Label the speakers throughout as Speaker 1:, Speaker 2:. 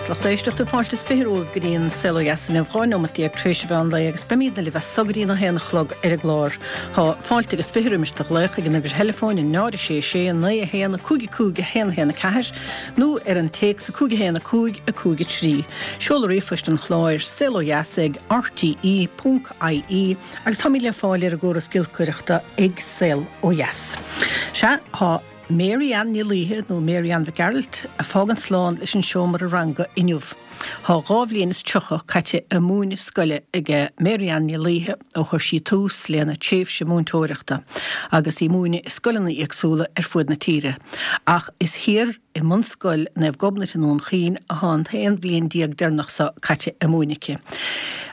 Speaker 1: Mhaith a lucht éisteachta, fáilte is 20 romhaibh go dtí an Saol Ó Dheas inniu, 12 nóimeat tar éis an mheán lae agus beimídne libh as so go dtí an 1 a chlog ar an gclár. Tá fáilte agus 20 roimis do ghlaoch ag an uimhir theileafóin 0 6 6 9 1 5 5 1 1 4 nó ar an téacs 5 1 5 5 3. Seoladh ríomhphoist an chláir, saolodheas ag rte ponc ie agus táimid le fáil ar an gcóras giolcaireachta ag Saol Ó Dheas. Sea, tá. Mary Ann Ní Laoithe, nó Mary Ann Mhic Gearailt, ag fágaint slán leis an seomra ranga inniu. Tá 2 bhliain is 30 caite ag múineadh scoile ag Mary Ann Ní Laoithe ó chuir sí tús lena tréimhse múinteoireachta agus í ag múineadh i scoileanna éagsúla ar fuaid na tíre. Ach is thiar i mBunscoil Naomh Gobnait i nDún Chaoin atá an t-aon bhliain deireanach so caite ag múineadh aici.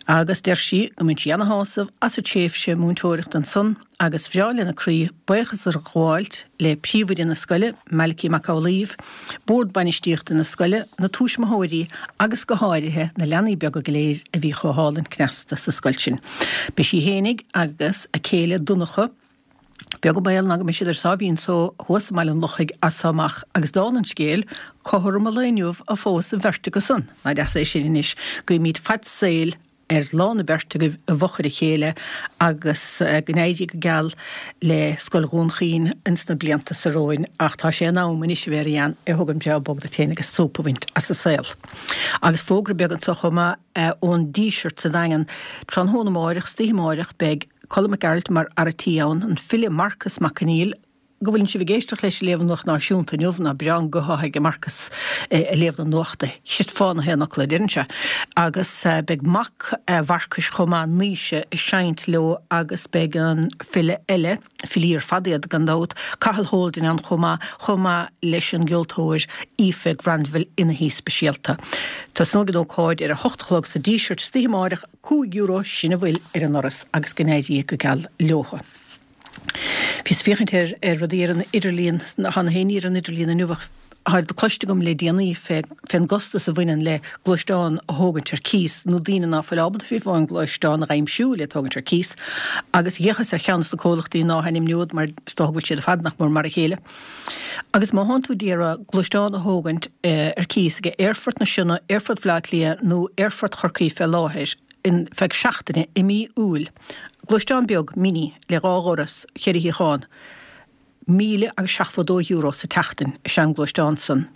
Speaker 1: Agus deir sí go mbain sí ana-shásamh as a tréimhse múinteoireachta ansan, agus bhreá lena croí buíochas a ghabháilt le príomhoide na scoile, Malachy Mac Amhlaoibh, bord bainistíochta na scoile, na tuismitheoirí agus go háirithe na leanaí beaga go léir a bhí chomh hálainn cneasta sa scoil sin. Beidh sí fhéinig agus a céile Donncha, beag an baol ná go mbeidh siad ar sáimhín só thuas i mBaile an Lochaigh as so amach agus dála an scéil, cothrom an lae inniu a phós an bheirt acu san, nach deas é sin anois, guímid fad saoil ar lán an bheirt agaibh i bhfochair a chéile agus go n-éirí go geal le Scoil Dhún Chaoin ins na blianta so romhainn ach tá sé in am anois a Mhary Ann é a thógaint breá bog duit féin agus súp a bhaint as an saol. Agus fógra beag anso chomh maith ón Díseart sa Daingean, tráthnóna amáireach, istoíche amáireach beidh Colm Mac Gearailt mar fhear a' tí ann, an file Marcas Mac Conghail, go bhfuileann sibh ag éisteacht leis ag léamh an Nuacht Náisiúnta inniu, nach breá an guth atá aige Marcas ag léamh na nuachta, chreidfeá na haon fhocal a deireann sé. Agus beidh mac Mharcais chomh maith, Naoise, ag seinnt leo agus beidh an file eile, filí ar fad iad gan dabht, Cathal Holden ann chomh maith, chomh maith leis an gceoltóir Aoife Granville ina haoi speisialta. Tosnóidh an ócáid ar a hocht a chlog sa Díseart istoíche amáireach, €5 sin a bhfuil ar an ndoras agus go n-éirí go geal leotha. Bhíos ag féachaint ar ar rudaí ar an idirlíon, tá na haon ní ar an idirlíon inniu ach tá cloiste agam le déanaí fé fén gcostas a bhaineann le gluaisteán a thógaint ar cíos nó daoine ná fuil ábalta fiú amháin gluaisteán a dh'aimsiú le tógaint ar cíos agus dh'fhéachas ar cheann de na comhlachtaí ná hainmneod mar is dócha go bhfuil siad ar fad nach mór mar a chéile. Agus má thánn tú d'iarraidh gluaisteán a thógaint ar cíos ag Aerfort na Sionna, Aerfort Bhaile Átha Cliath nó Aerfort Chorcaí fé láthair, ar feadh seachtaine i mí Iúil. Gluaisteán beag, Mini, le dhá dhoras, cheithre shuíochán. €1,072 sa tseachtain is ea an gluaisteán san.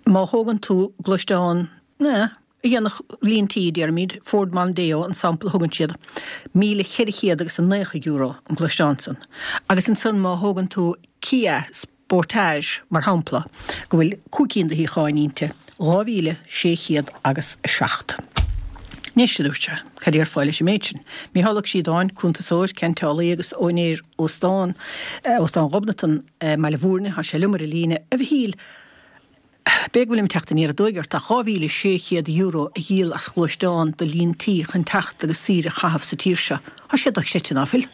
Speaker 1: Má thógann tú gluaisteán, eh, a dhéanfadh líon tí, déarfaimid, Ford Mondeo an sampla a thugann siad, €1,490 an gluaisteán san. Agus ansan má thógann tú Kia Sportage, mar shampla, go bhfuil 5 cinn de shuíocháin inti, 2,600 agus 7. Anois, a dúirt sé, cad a déarfá leis an méid sin? Mícheál Ó Críodáin, cuntasóir, ceanteálaí agus úinéir óstán, Óstán Ghobnatan i mBaile Bhúirne, tá sé liom ar an líne. A Mhichíl, b'fhéidir go bhfuilim ag teacht aniar aduaidh ort, ach €2,600 a dhíol as gluaisteán do líon tí chun teacht agus saoire a chaitheamh sa tír seo, tá sé dochreidte, ná fuil?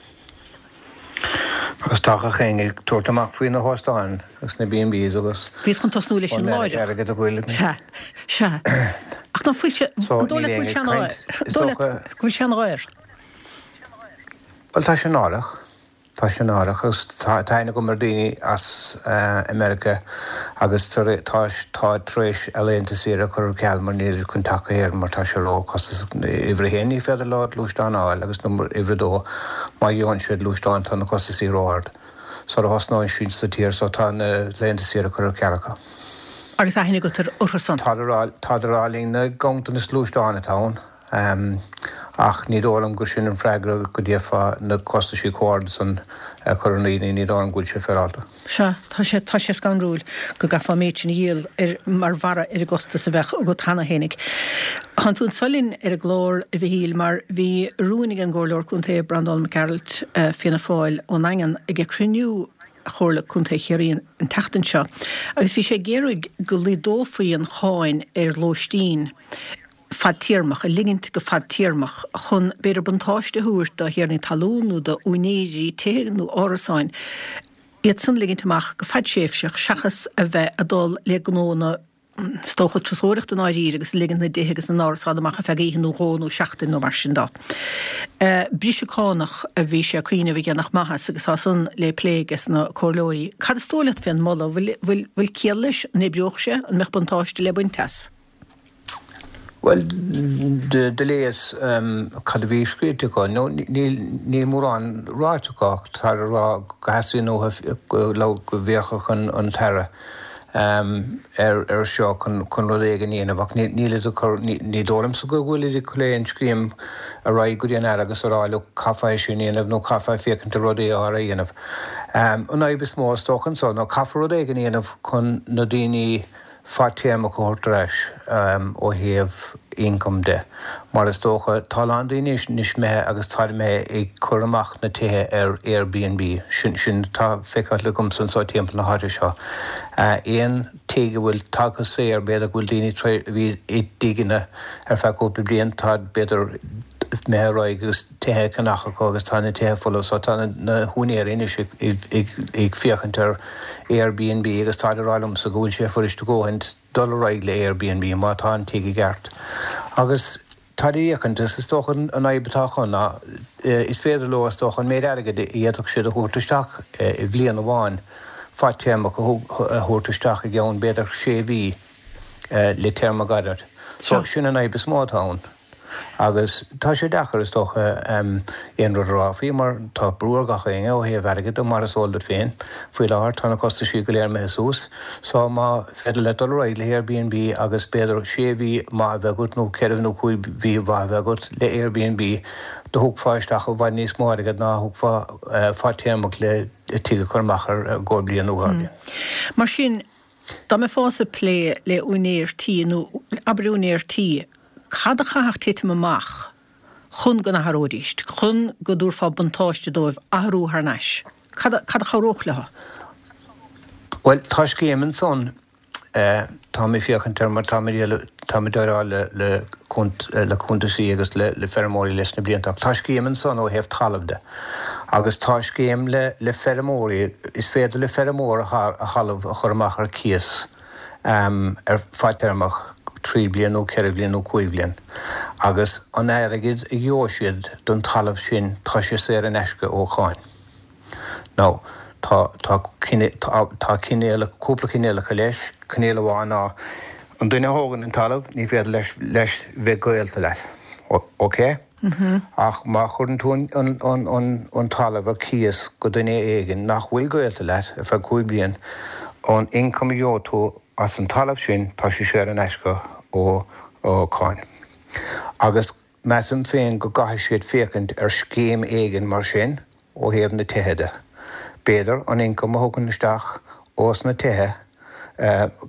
Speaker 2: Agus tá gach éinne ag tabhairt amach faoi na hóstáin agus na B&Bs agus.
Speaker 1: Bhíos chun tosnú leis sin láithreach.
Speaker 2: airgead a ghoil.
Speaker 1: Sea, sea. Ach ná fuil sé, an dóigh leat go bhfuil sé an, dóigh leat go bhfuil sé an-dhaor?
Speaker 2: Bhuel, tá sé náireach. Tá sé náireach agus tá aithne agam ar daoine as America agus tá tá tar éis a laethanta saoire a chur ar ceal mar níl chun teacht go hÉirinn mar tá sé ró chostasach. Uimhir a haon ní féidir leo gluaisteán a fháil agus uimhir a dó má gheobhann siad gluaisteán tá na costasaí ró ard sara thosnóidh siad sa tír so tá na laethanta saoire curtha ar ceal acu.
Speaker 1: Agus aithne agat orthu san?
Speaker 2: Táid ag rá linn na ganntanas gluaisteán atá ann. Ach ní dóigh liom gur sin an freagra go d'fhéadfá na costaisí chomh hard san a chur ar na daoine, ní dóigh liom go bhfuil sé féaráilte.
Speaker 1: Sea, tá sé, tá sé scanrúil go gcaithfeá an méid sin a dhíol ar, mar bharra ar an gcostas a bheadh agat cheana fhéinig. Tánn tú anso linn ar an gclár, a Mhichíl, mar bhí rún ag an gComhairleoir Contae Breandán Mac Gearailt, Fianna Fáil ón nDaingean, ag cruinniú Chomhairle Contae Chiarraí an tseachtain seo agus bhí sé ag iarraidh go laghdófaí an cháin ar lóistín fadtéarmach, a ligint go fadtéarmach chun, b'fhéidir, buntáiste a thabhairt do thiarnaí talún nó do úinéirí tithe nó árasáin, iad san a ligint amach go fadtréimhseach seachas a bheith ag dul le gnó na, is dócha, turasóireachta i ndáiríre agus ag ligint na dtithe agus na n-árasán amach ar feadh oíche nó dhó nó seachtain nó mar sin dó. Briseadh cánach a bhí sé ag cuimhneamh a dhéanfadh maitheas agus tá san le plé aige na comhairleoirí. Cad is dóigh leat fén moladh? Bhfuil, bhfuil, bhfuil ciall leis? An oibreodh sé? An mbeadh buntáiste le baint as?
Speaker 2: Bhuel, do léas cad a bhí scríte acu. Nó níl mórán ráite acu ach táid ag rá go theastaíonn uathu go bhféachfadh an tAire ar seo chun rud éigin a dhéanamh ach nílid ag cur, ní dóigh liomsa go bhfuilid ag cur aon scéim ar aghaidh go dtí an Aire agus a rá look caithfeá é sin a dhéanamh nó caithfeá féachaint ar rud A a dhéanamh. An fhadhb is mó is dócha anso ná caithfear rud éigin a dhéanamh chun na daoine fadtéarmach a thabhairt ar ais ó thaobh ioncaim de, mar is dócha, tá a lán daoine anois imithe agus táid imithe ag cur amach na tithe ar Airbnb, sin, sin atá feicthe agamsa anseo timpeall na háite seo. Aon tigh a bhfuil tagtha saor, b'fhéidir go bhfuil daoine tar éis, a bhí i dtigeanna ar feadh cúpla bliain, táid b'fhéidir imithe ar aghaidh agus tithe á gceannach acu agus tá na tithe folamh so tá na húinéirí anois ag féachaint ar Airbnb agus táid ag rá liomsa go bhfuil sé fuirist a dhóthaint dul ar aghaidh le Airbnb má tá an tigh i gceart. Agus táid ag féachaint agus is dócha an fhadhb atá acu ná is féidir leo is dócha an méid airgid a d'fhéadfadh siad a thabhairt isteach i bhliain amháin fadtéarmach a thabhairt isteach i gceann b'fhéidir sé mhí le téarma gairid. So sin an fhadhb is mó atá ann. Agus tá sé deacair, is dócha, aon rud a rá faoi mar tá brú ar gach éinne ó thaobh airgid de, mar is eol duit féin. Faoi láthair tá na costaisí go léir imithe suas. So má féidir leat dul ar aghaidh le Airbnb agus b'fhéidir sé mhí maith a bheith agat nó ceithre nó chúig mhí mhaith a bheith agat le Airbnb, do thógfá isteach i bhfad níos mó airgid ná a thógfá fadtéarmach le tigh a chur amach ar i gcomhair bliain nó dhá bhliain.
Speaker 1: Mar sin, Dá mbeifeása ag plé le úinéir tí, nó abair úinéir tí, cad a chaithfeadh titim amach chun go n-athróidís, chun go dtabharfá buntáiste dóibh athrú thar n-ais? Cad a, cad a chabhródh leo?
Speaker 2: Bhuel, tá scéim ansan, táim ag féachaint air mar táim ag, táim ag déileáil le, le, le cuntasaí agus le, le feirmeoirí leis na blianta ach tá scéim ansan ó thaobh talaimh de. Agus tá scéim le le feirmeoirí, is féidir le feirmeoir a thalamh a chur amach ar cíos ar fadtéarmach, 3 bliain nó 4 bhliain nó 5 bhliain, agus an airgead a gheobhaidh siad don talamh sin, tá sé saor in aisce ó cháin. Now, tá, tá, tá cinéalacha, cúpla cinéalacha leis, cinéal amháin ná an duine a thógann an talamh, ní féidir leis, leis bheith gaolta leat. Ok? Ach má chuireann tú an talamh ar cíos go duine éigin nach bhfuil gaolta leat ar feadh 5 bliain, an ioncam a gheobhaidh tú as an talamh sin, tá sé saor in aisce ó cháin. Agus measaim féin go gcaithfidh siad féachaint ar scéim éigin mar sin ó thaobh na tithe de. B'fhéidir an ioncam a thugann isteach ós na tithe,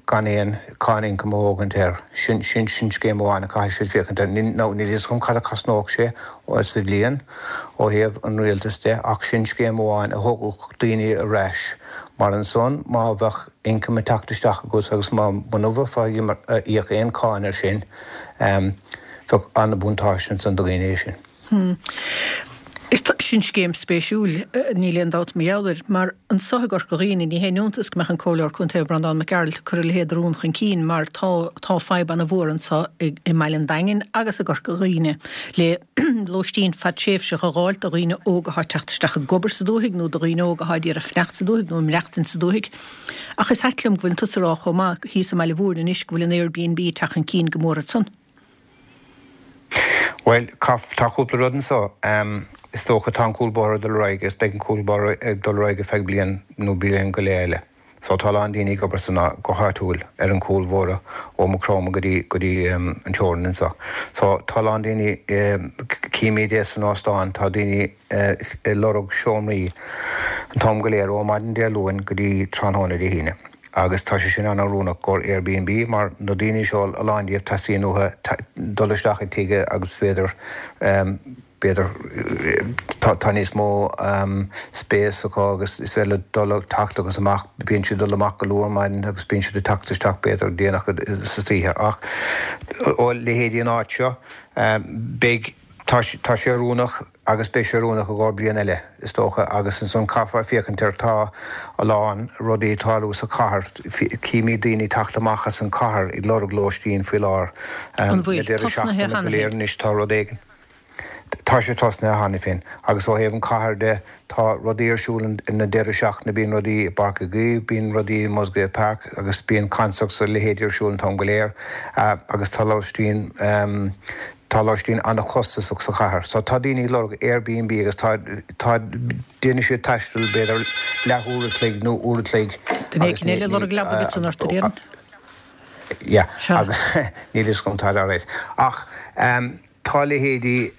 Speaker 2: gan aon cáin ioncaim a thógaint air. Sin, sin, sin scéim amháin a caithfidh siad féachaint air. Níl, now, níl fhios agam cad a cosnódh sé sa bhliain ó thaobh an rialtais de ach sin scéim amháin a thógfadh daoine ar ais mar ansan má bheadh ioncam ag teacht isteach agat agus má, muna mbeifeá ag íoc aon cáin air sin, bheadh an-bhuntáiste ansan do dhaoine é sin.
Speaker 1: Hm. Sin scéim spéisiúil, níl aon dabht mar gheall air. Mar anso i gCorca Dhuibhne, ní haon iontas go mbeadh an Comhairleoir Contae Breandán Mac Gearailt ag cur a leithéid de rún chun cinn mar tá tá fadhb ana-mhór anso i mBaile an Daingin agus i gCorca Dhuibhne le lóistín fadtréimhseach a dh'fháilt do dhaoine óga athá ag teacht isteach ag obair sa dúthaigh nó do dhaoine óga athá ag iarraidh fanacht sa dúthaigh nó ag maireachtaint sa dúthaigh. Ach is ait liom go bhfuil tusa ag rá chomh maith thíos i mBaile Mhúirne anois go bhfuil an Airbnb ag teacht chun cinn go mór ansan.
Speaker 2: Bhuel, tá cúpla rud anso. Is dócha tá an cúlbóthar ag dul ar aghaidh agus beidh an cúlbóthar ag dul ar aghaidh ar feadh bliain nó bliain go leith eile. So tá a lán daoine ag obair san go háitiúil ar an cúlbhóthar ó Maigh Chromtha go dtí go dtí an teorainn anso. So tá a lán daoine, címid é san óstán, tá daoine ag lorg seomraí an t-am go léir ó maidin Dé Luain go dtí tráthnóna Dé hAoine agus tá sé sin an-oiriúnach gcomhair Airbnb mar na daoine seo a lán díobh teastaíonn uathu dul isteach i dtigh agus b'fhéidir b'fhéidir tá níos mó spéis acu agus is féidir leo dul ag teacht agus amach bíonn siad ag dul amach go luath ar maidin agus bíonn siad ag teacht isteach b'fhéidir déanach sa oíche ach ó leithéidí an áit seo beidh Tá sé oiriúnach agus beidh sé oiriúnach i gcomhair bliain eile, is dócha, agus ansan caithfear féachaint ar, tá a lán rudaí ag tarlú sa chathair, címid daoine ag teacht amach as an chathair ag lorg lóistín faoi láthair.
Speaker 1: An bhfuil?
Speaker 2: Na deireadh
Speaker 1: Tosnaithe
Speaker 2: seachtaine
Speaker 1: cheana
Speaker 2: go léir
Speaker 1: féin?
Speaker 2: anois tá rud éigin. Tá. Tá sé tosnaithe cheana féin agus ó thaobh an chathair de tá rudaí ar siúl na deireadh seachtaine, bíonn rudaí i bPáirc Uí Chaoimh, bíonn rudaí i Musgrave Park agus bíonn concerts a leithéidí ar siúl an t-am go léir agus tá lóistín tá lóistín an-chostasach sa chathair. So tá daoine ag lorg Airbnb agus tá tá déanann siad taisteal b'fhéidir leath uair a chloig nó uair a chloig
Speaker 1: Duine éicint eile ag lorg leaba agat san ort, a déarfainn.
Speaker 2: Yeah agus níl fhios agam tá alright ach Tá leithéidí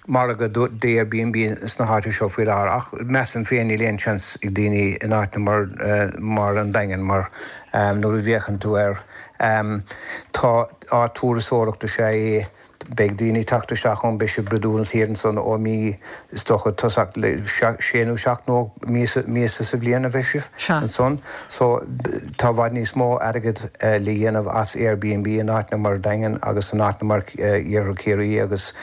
Speaker 2: margadh d'Airbnb sna háiteanna seo faoi láthair ach measaim féin níl aon seans ag daoine in áiteanna mar an Daingean mar nuair a bhféachann tú air tá áit turasóireachta is ea é beidh daoine ag teacht isteach ann beidh siad brúidiúil thiar ansan ó mí is dócha tosach le sé nó seacht nó míosa sa bhliain a bheidh sibh ansan. So, tá i bhfad níos mó airgead le dhéanamh as Airbnb in áiteanna mar Daingean agus in áiteanna mar Iarthar Chiarraí agus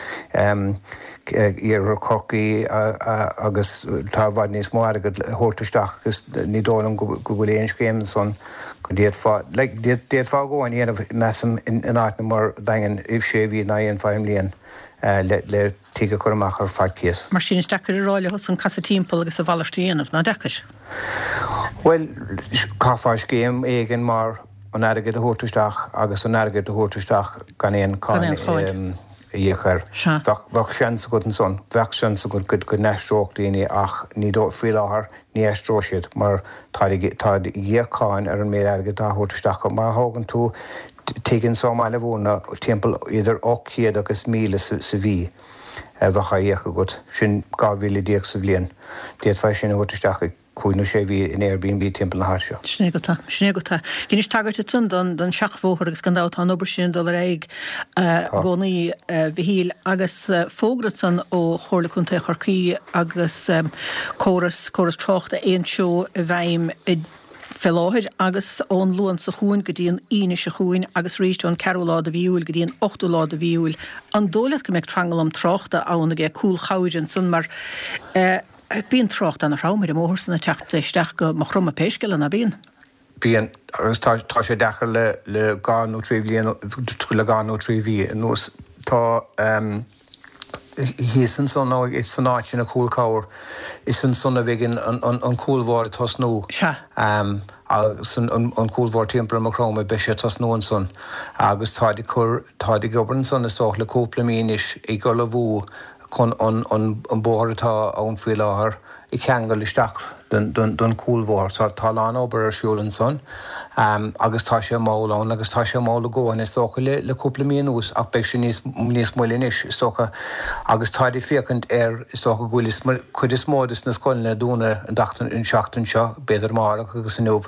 Speaker 2: Iarthar Chorcaí agus tá i bhfad níos mó airgead le thabhairt isteach agus ní dóigh liom go bhfuil aon scéim ansan go d'fhéadfá, like, d'fhéadfá a dhóthain a dhéanamh measaim in áiteanna mar Daingean i sé mhí ná dhéanfá i mbliain le tigh a chur amach ar faitíos.
Speaker 1: Mar sin, is deacair a rá leosan casadh timpeall agus a mhalairt a dhéanamh, nach deacair?
Speaker 2: Bhuel, chaithfeá scéim éigin mar an airgead a thabhairt isteach agus an airgead a thabhairt isteach gan aon cháin a íoc air. Bheadh seans agat ansan, bheadh seans agat go n-aistreodh daoine ach ní dóigh, faoi láthair, ní aistreoidh siad mar táid ag íoc cáin ar an méid airgid atá á thabhairt isteach acu. Má thógann tú tigh anso i mBaile Bhúirne timpeall idir 800 agus 1,000 sa mhí a bheadh á íoc agat, sin 12,000 sa bhliain. D'fhéadfá é sin a thabhairt isteach i cúig nó sé mhí in Airbnb timpeall na háite seo.
Speaker 1: Sin é agat é. Sin é agat é. Dheinis tagairt ansan don don seachbhóthar agus gan dabht tá an obair sin ag dul ar aghaidh i gcónaí, a Mhichíl. Agus fógra ansan ó Chomhairle Contae Chorcaí agus córas córas tráchta aontreo i bhfeidhm i fé láthair agus ón Luan seo chugainn go dtí an Aoine seo chugainn agus arís ón ceathrú lá de mhí Iúil go dtí an ochtú lá de mhí Iúil. An dóigh leat go mbeidh tranglam tráchta ann ag Cúl Chabhair ansan mar bíonn trácht ana-throm ar an mbóthar san ag teacht isteach go Maigh Chromtha pé scéal é, ná bíonn?
Speaker 2: Bíonn, agus tá tá sé deacair le le dhá nó trí bhliain le dhá nó trí mhí anuas. Tá thíos ansan nó san áit sin i Cúl Chabhair, is ansan a bheidh an cúlbhóthar ag tosnú.
Speaker 1: Sea.
Speaker 2: Agus an cúlbhóthar timpeall ar Maigh Chromtha, beidh sé ag tosnú ansan. Agus táid ag cur, táid ag obair ansan is dócha le cúpla mí anois ag ullmhú chun an bóthar atá ann faoi láthair a cheangal isteach don chúlbhóthar. So tá a lán obair ar siúl ansan agus tá sé mall ann agus tá sé mall a dhóthain is dócha le cúpla mí anuas ach beidh sé níos níos moille anois is dócha agus táid ag féachaint ar is dócha go bhfuil cuid is mó des na scoileanna dúnadh an tseachtain seo b'fhéidir amárach agus inniu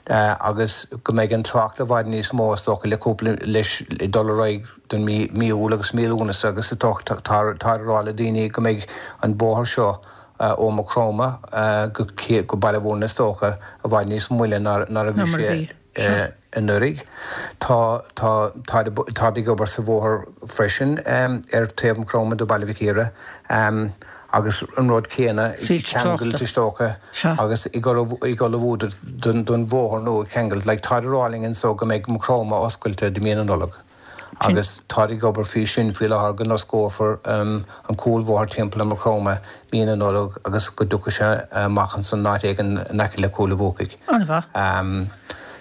Speaker 2: agus go mbeidh an trácht i bhfad níos mó is dócha le cúpla leis dul ar aghaidh don mí mí Iúil agus mí Lúnasa agus is dócha tá táid ag rá le daoine go mbeidh an bóthar seo ó Maigh Chromtha go go Baile Bhúirne is dócha i bhfad níos moille ná ná a bhí sé anuraidh. Tá tá táid táid ag obair sa bhóthar freisin ar taobh Maigh Chromtha do Baile Mhic Íre agus an rud céanna ag ceangailt is dócha agus ag ag ullmhú don bhóthar nua ag ceangailt like táid ag rá linn anso go mbeidh Maigh Chromtha oscailte do mí na Nollag. agus táid ag obair faoi sin faoi láthair go n-osclófar an cúlbhóthar timpeall ar Maigh Chromtha mí na Nollag agus go dtiocfaidh sé amach ansan in áit éigin in aice le Cúil a' Bhuacaigh.
Speaker 1: An-mhaith.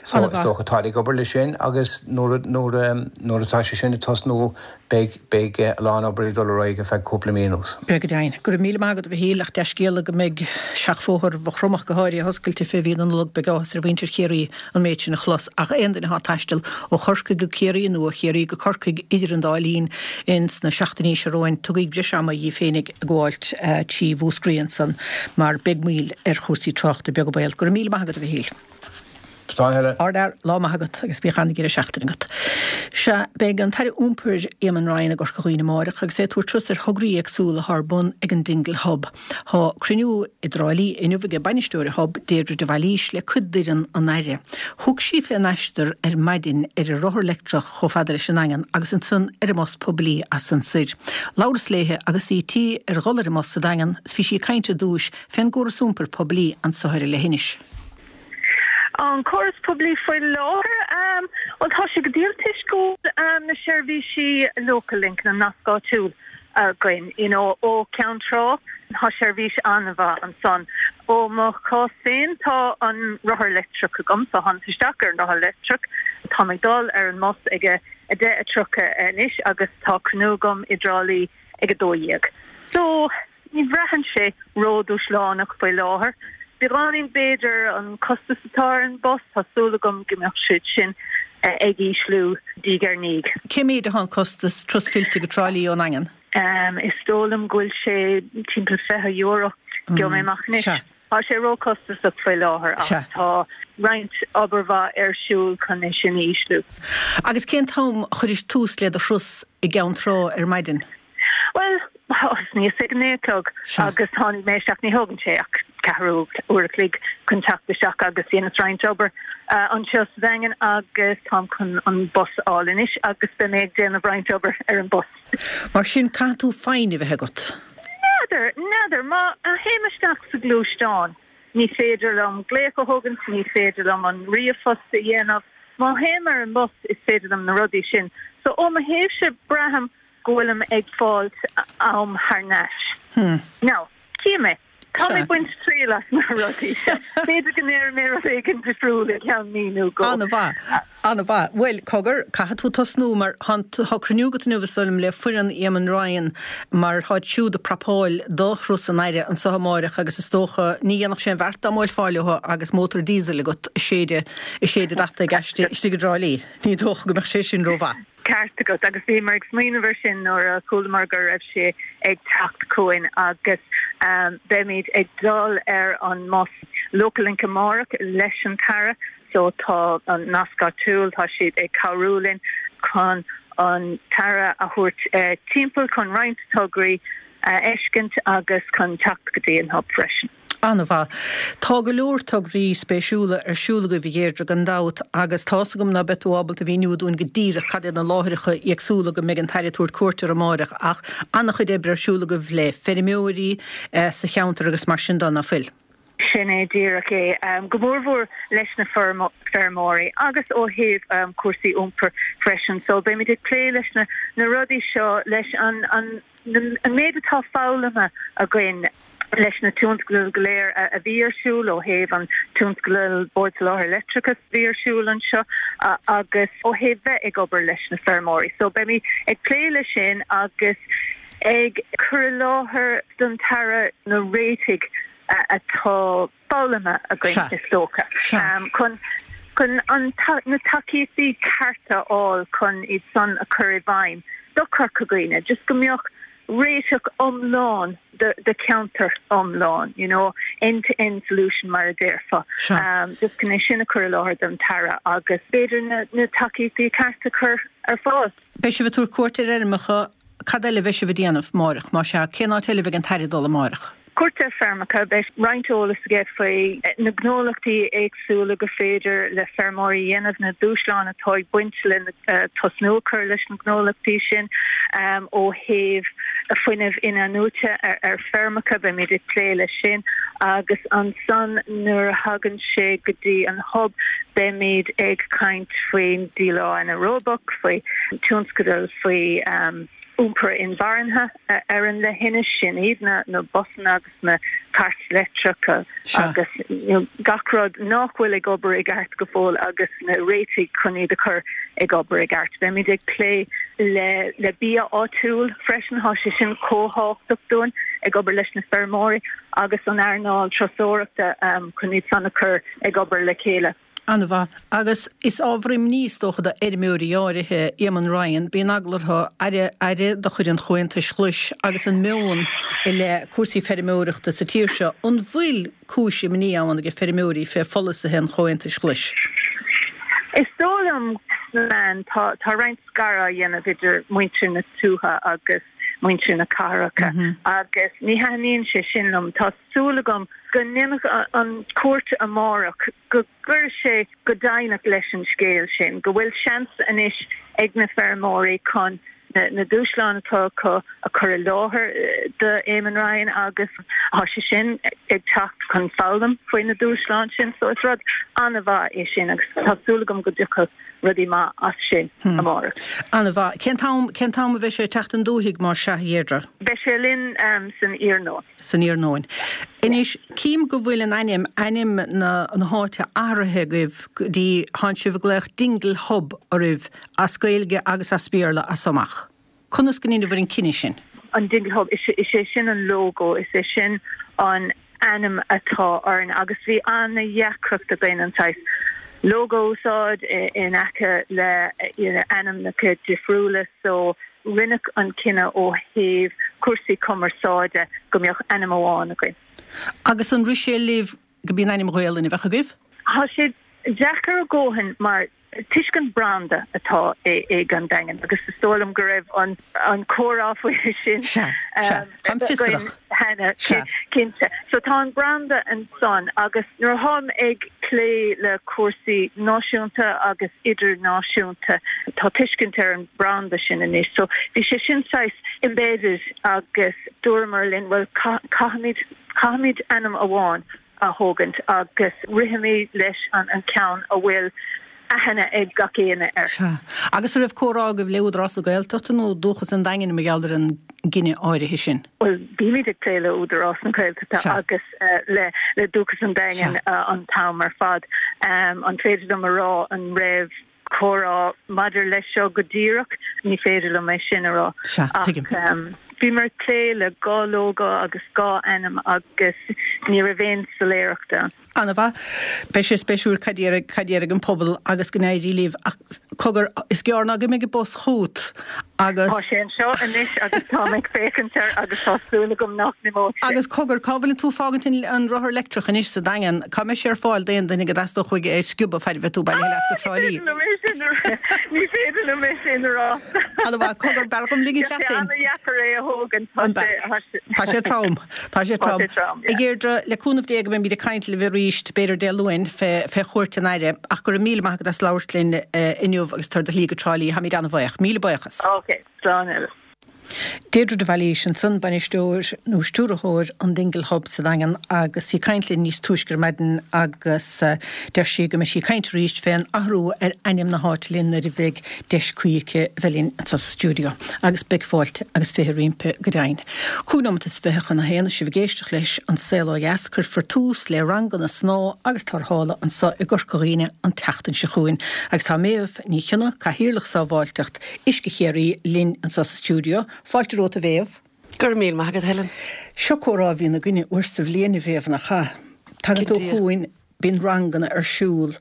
Speaker 2: So is dócha táid ag obair leis sin agus nuair nuair atá sé sin ag tosnú beidh beidh a lán obair ag dul ar aghaidh ar feadh cúpla mí anuas.
Speaker 1: Beidh go deimhin. Go raibh míle maith agat a Mhichíl ach dea-scéala go mbeidh seachbhóthar Mhaigh Chromtha ach go háirithe oscailte fé mhí na Nollag beidh áthas ar mhuintir Chiarraí an méid sin a chlos, ach aon duine atá ag taisteal ó Chorcaigh go Ciarraí nó ó Chiarraí go Corcaigh idir an dá linn ins na seachtainí seo romhainn, tugaigí breis ama dhíbh féinig ag gabháilt trí Mhúscraí ansan mar beidh moill ar chúrsaí tráchta, beag an baol. Go raibh míle maith agat, a Mhichíl.
Speaker 2: Slán a thuilleadh.
Speaker 1: Ardfhear, lá maith agat agus bíodh an-deireadh seachtaine agat. Sea, beidh an tAire Iompair, Éamon Ryan i gCorca Dhuibhne amáireach agus é ag tabhairt turas ar thograí éagsúla atá ar bun ag an Dingle Hub. Tá cruinniú i dTrá Lí inniu ag bainisteoir an Hub, Deirdre de Bhailís, le cuid d'fhoireann an Aire. Thug sí fén aistear ar maidin ar an rothar leictreach chomh fada leis an nDaingean agus ansan ar an mbus poiblí as san soir. Labhras léithe agus í tí ar dhul ar an mbus sa Daingean is bhí sí ag caint ar dtúis fén gcóras iompair poiblí anso ar an leithinis.
Speaker 3: An córas poiblí faoi láthair, bhuel tá sé go diail toisc go bhfuil na seirbhísí Local Link, na nasc áitiúil. againn, you know, ó Ceann Trá, tá seirbhís an-mhaith ansan. Ó mo chás féin, tá an rothar leictreach agam, so thánas isteach ar an rothar leictreach, táim ag dul ar an mbus ag a 10:30 anois agus tá cruinniú agam i dTrá Lí ag 12. So, ní bhraitheann sé ródhúshlánach faoi láthair. Beagáinín b'fhéidir an costas atá ar an bus, tá súil agam go mbeadh siad sin ag ísliú diaidh ar ndiaidh.
Speaker 1: Cé méid atá an costas, turas fillte go Trá Lí ón nDaingean?
Speaker 3: Is dóigh liom go bhfuil sé timpeall €20. Gheobhaidh mé amach anois. Tá sé róchostasach faoi láthair ach tá roinnt obair mhaith ar siúl chun é sin a ísliú.
Speaker 1: Agus cén t-am a chuiris tús le do thuras i gCeann Trá ar maidin?
Speaker 3: Bhuel, thosnaíos ag a 9 a chlog agus tháinig mé isteach, ní thógann sé ach ceathrú uair a chloig chun teacht isteach agus dhéanas roinnt obair anseo sa Daingean agus táim chun an bus a fháil anois agus beidh mé ag déanamh roinnt obair ar an bus.
Speaker 1: Mar sin, caithfidh tú foighne a bheith agat.
Speaker 3: N'fheadar, n'fheadar. Má théim isteach sa ghluaisteán, ní féidir liom glaoch a thógaint, ní féidir liom an ríomhphost a dhéanamh. Má théim ar an mbus, is féidir liom na rudaí sin. So, ó mo thaobhse, braithim go bhfuilim ag fáilt am thar n-ais. Now, tchífidh mé. Tá mé ag baint triail as na rudaí seo. B'fhéidir go ndéarfaidh mé rud éigin difriúil i gceann mí nó dhó.
Speaker 1: An-mhaith. An-mhaith. Bhuel, cogar, caithfidh tú tosnú mar tá tá cruinniú agat inniu is dóigh liom le foireann Éamon Ryan mar táid siúd ag prapáil do thuras an Aire anseo amáireach agus is dócha ní dhéanfadh sé an bheart dá mbuailfeá leo agus mótar diesel agat ag séideadh ag séideadh data ag aistear istigh i dTrá Lí. Ní dócha go mbeadh sé sin rómhaith.
Speaker 3: Ceart agat, agus bhíomar ag smaoineamh ar sin nuair a chualamar go raibh sé ag teacht chugainn agus beimid ag dul ar an mbus Local Link amárach leis an tAire so tá an Nasc Áitiúil, tá siad ag cabhrú linn chun an tAire a thabhairt timpeall chun roinnt tograí a fheiscint agus chun teacht go dtí an Hub freisin.
Speaker 1: An-mhaith. Tá go leor tograí spéisiúla ar siúl agaibh, a Dheirdre, gan dabht, agus tá's agam ná beidh tú ábalta a mhíniú dúinn go díreach cad iad na láithreacha éagsúla go mbeidh an tAire ag tabhairt cuairt orthu amáireach, ach an-chuid oibre ar siúl agaibh le feirmeoirí sa cheantar agus mar sin de, ná fuil?
Speaker 3: Sin é díreach é, go mórmhór leis na feirmeoirí agus ó thaobh cúrsaí iompair freisin. So beimid ag plé leis na rudaí seo, leis an an méid atá foghlamtha againn leis na tionscadail go léir a bhí ar siúl ó thaobh an tionscadal Bord Soláthair Leictreachais a bhí ar siúl anseo agus ó thaobh bheith ag obair leis na feirmeoirí. So beimid ag plé leis sin agus ag cur i láthair don tAire na réitigh atá foghlamtha againn is dócha chun chun an na tacaíochtaí cearta a fháil chun iad san a chur i bhfeidhm do Chorca Dhuibhne, just go mbeadh réiteach iomlán do cheantar iomlán, you know, end to end solution mar a déarfá. Just chun é sin a chur i láthair don tAire agus b'fhéidir na na tacaíochtaí cearta a chur ar fáil.
Speaker 1: Beidh sibh ag tabhairt cuairt ar fheirmeacha, cad eile a bheidh sibh ag déanamh amáireach, más ea, cén áit eile a bheidh an tAire ag dul amáireach?
Speaker 3: Cuairt ar feirmeacha, beidh roinnt eolas aige faoi na gnólachtaí éagsúla gur féidir le feirmeoirí a dhéanamh, na dúshláin atá ag baint le tosnú a chur leis na gnólachtaí sin ó thaobh fuinneamh in-athnuaite ar feirmeacha, beimid ag plé leis sin agus ansan nuair a thagann sé go dtí an Hub beimid ag caint faoin díleá anaeróbach, faoi tionscadail faoi iompar inmharthana. ar an leithinis, sin iad na busanna agus na cairt leictreacha agus gach rud nach bhfuil ag obair i gceart go fóill agus na réitigh chun iad a chur ag obair i gceart. Beimid ag plé le le bia áitiúil freisin, tá sé sin chomh tábhachtach dúinn, ag obair leis na feirmeoirí agus an earnáil turasóireachta chun iad san a chur ag obair le chéile.
Speaker 1: An-mhaith. Agus is ábhar imní is dócha do fheirmeoirí áirithe, Éamon Ryan, bíonn eagla orthu, aire, aire de chuid an Chomhaontais Ghlais agus an meon i leith cúrsaí feirmeoireachta sa tír seo. An bhfuil cúis imní ann ag feirmeoirí fé pholasaithe an Chomhaontais Ghlais?
Speaker 3: Is dóigh liom sna meáin tá tá roinnt scaradh á dhéanamh idir muintir na tuaithe agus muintir na cathracha agus ní thaitníonn sé sin liom. Tá súil agam go ndéanfaidh an cuairt amárach go gcuirfidh sé go deimhneach leis an scéal sin, go bhfuil seans anois ag na feirmeoirí chun. Na dúshláin atá acu a chur i láthair do Eamon Ryan agus tá sé sin ag teacht chun foghlaim faoi na dúshláin sin so is rud an-mhaith é sin agus tá súil agam go dtiocfaidh rudaí maith as sin amárach.
Speaker 1: An-mhaith. Cén t-am, cén t-am a bheidh sé ag teacht 'on dúthaigh más sea, a Dheirdre?
Speaker 3: Beidh sé linn san iarnóin.
Speaker 1: san iarnóin. Anois, cím go bhfuil an ainm, ainm na na háite athraithe agaibh go dtí, tánn sibh ag glaoch Dingle Hub oraibh as Gaeilge agus as Béarla as so amach. Conas go ndeineabhair an cinneadh sin?
Speaker 3: An Dingle Hub, is é sin an lógó, is é sin an ainm atá orainn agus bhí an-dheacracht againn an saghas lógó a úsáid in aice le ainmneacha difriúla so rinneadh an cinneadh ó thaobh cúrsaí cumarsáide go mbeadh ainm amháin againn.
Speaker 1: Agus an rith sé libh go b'í an ainm Ghaolainn a bheadh agaibh?
Speaker 3: Tá sé deacair a dhóthain mar toisc an branda atá ag an Daingean agus is dóigh liom go raibh an comhrá faoi sin
Speaker 1: againn
Speaker 3: cheana, cinnte. So tá an branda ansan agus nuair atáim ag plé le cúrsaí náisiúnta agus idirnáisiúnta tá tuiscint ar an branda sin anois. So bhí sé sin saghas embedded agus dúramar linn bhuel caithfimid, caithfimid ainm amháin a thógaint agus rithimid leis an ceann a bhfuil aithne ag gach éinne air.
Speaker 1: Sea. Agus an raibh comhrá agaibh le Údarás na Gaeltachta nó Dúchas an Daingin mar gheall ar an gcinneadh áirithe sin?
Speaker 3: Bhuel, bímid ag plé le Údarás na Gaeltachta agus le Dúchas an Daingin an t-am ar fad. An féidir liom a rá an raibh comhrá maidir leis seo go díreach? Ní féidir liom é sin a rá.
Speaker 1: Sea, tuigim.
Speaker 3: Ach bhíomar ag plé le gá lógó agus gá ainm agus ní raibh aon soiléireacht ann.
Speaker 1: An-mhaith. Beidh sé spéisiúil cad déarfaidh, cad déarfaidh an pobal agus go n-éirí libh. Ach cogar, is gearr ná go mbeidh an bus chugat agus.
Speaker 3: Tá sé anseo anois agus táim ag féachaint air agus tá súil agam nach n-imeoidh
Speaker 1: sé. Agus cogar, cá bhfuileann tú ag fágaint an, an rothar leictreach anois sa Daingean? Cá mbeidh sé ar fáil d'aon duine go dteastódh uaidh é a sciobadh faid a bheidh tú bailithe leat go Trá Lí?
Speaker 3: Ní féidir liom é sin a rá.
Speaker 1: An-mhaith. Cogar, b'fhearr dhom ligint leat
Speaker 3: féin. Tá sé an-dheacair é a thógaint.
Speaker 1: Tá sé trom. Tá sé trom. A Dheirdre, le cúnamh Dé go mbeimid ag caint libh arís, b'fhéidir Dé Luain, fé chuairt an Aire. Ach go raibh míle maith agat as labhairt linn inniu agus tabhair do shlí go Trá Lí. Táimid an-bhaoch. Míle buíochas.
Speaker 3: Ok. Slán eile.
Speaker 1: Deirdre de Bhailís ansan, bainisteoir nó stiúrthóir an Dingle Hub sa Daingean agus í ag caint linn níos túisce ar maidin agus deir sí go mbeidh sí ag caint arís fén athrú ar ainm na háite linn nuair a bheidh deis cuí aici a bheith linn anseo sa stiúideo agus beidh fáilte agus 20 roimpi go deimhin. 25 nóimeat chun a haon, sibh ag éisteacht leis An Saol Ó Dheas, cuirfear tús le ranganna snámha agus tarrthála anseo i gCorca Dhuibhne an tseachtain seo chugainn agus tá Méabh Ní Chionnaith, Cathaoirleach Sábháilteacht Uisce Chiarraí, linn anseo sa stiúideo. Fáilte romhat a Mhéabh.
Speaker 4: Go raibh míle maith agat, Helen.
Speaker 1: Seo comhrá a bhíonn againne uair sa bhliain, a Mhéabh, nach ea? Tagann tú chugainn Bíonn ranganna ar siúl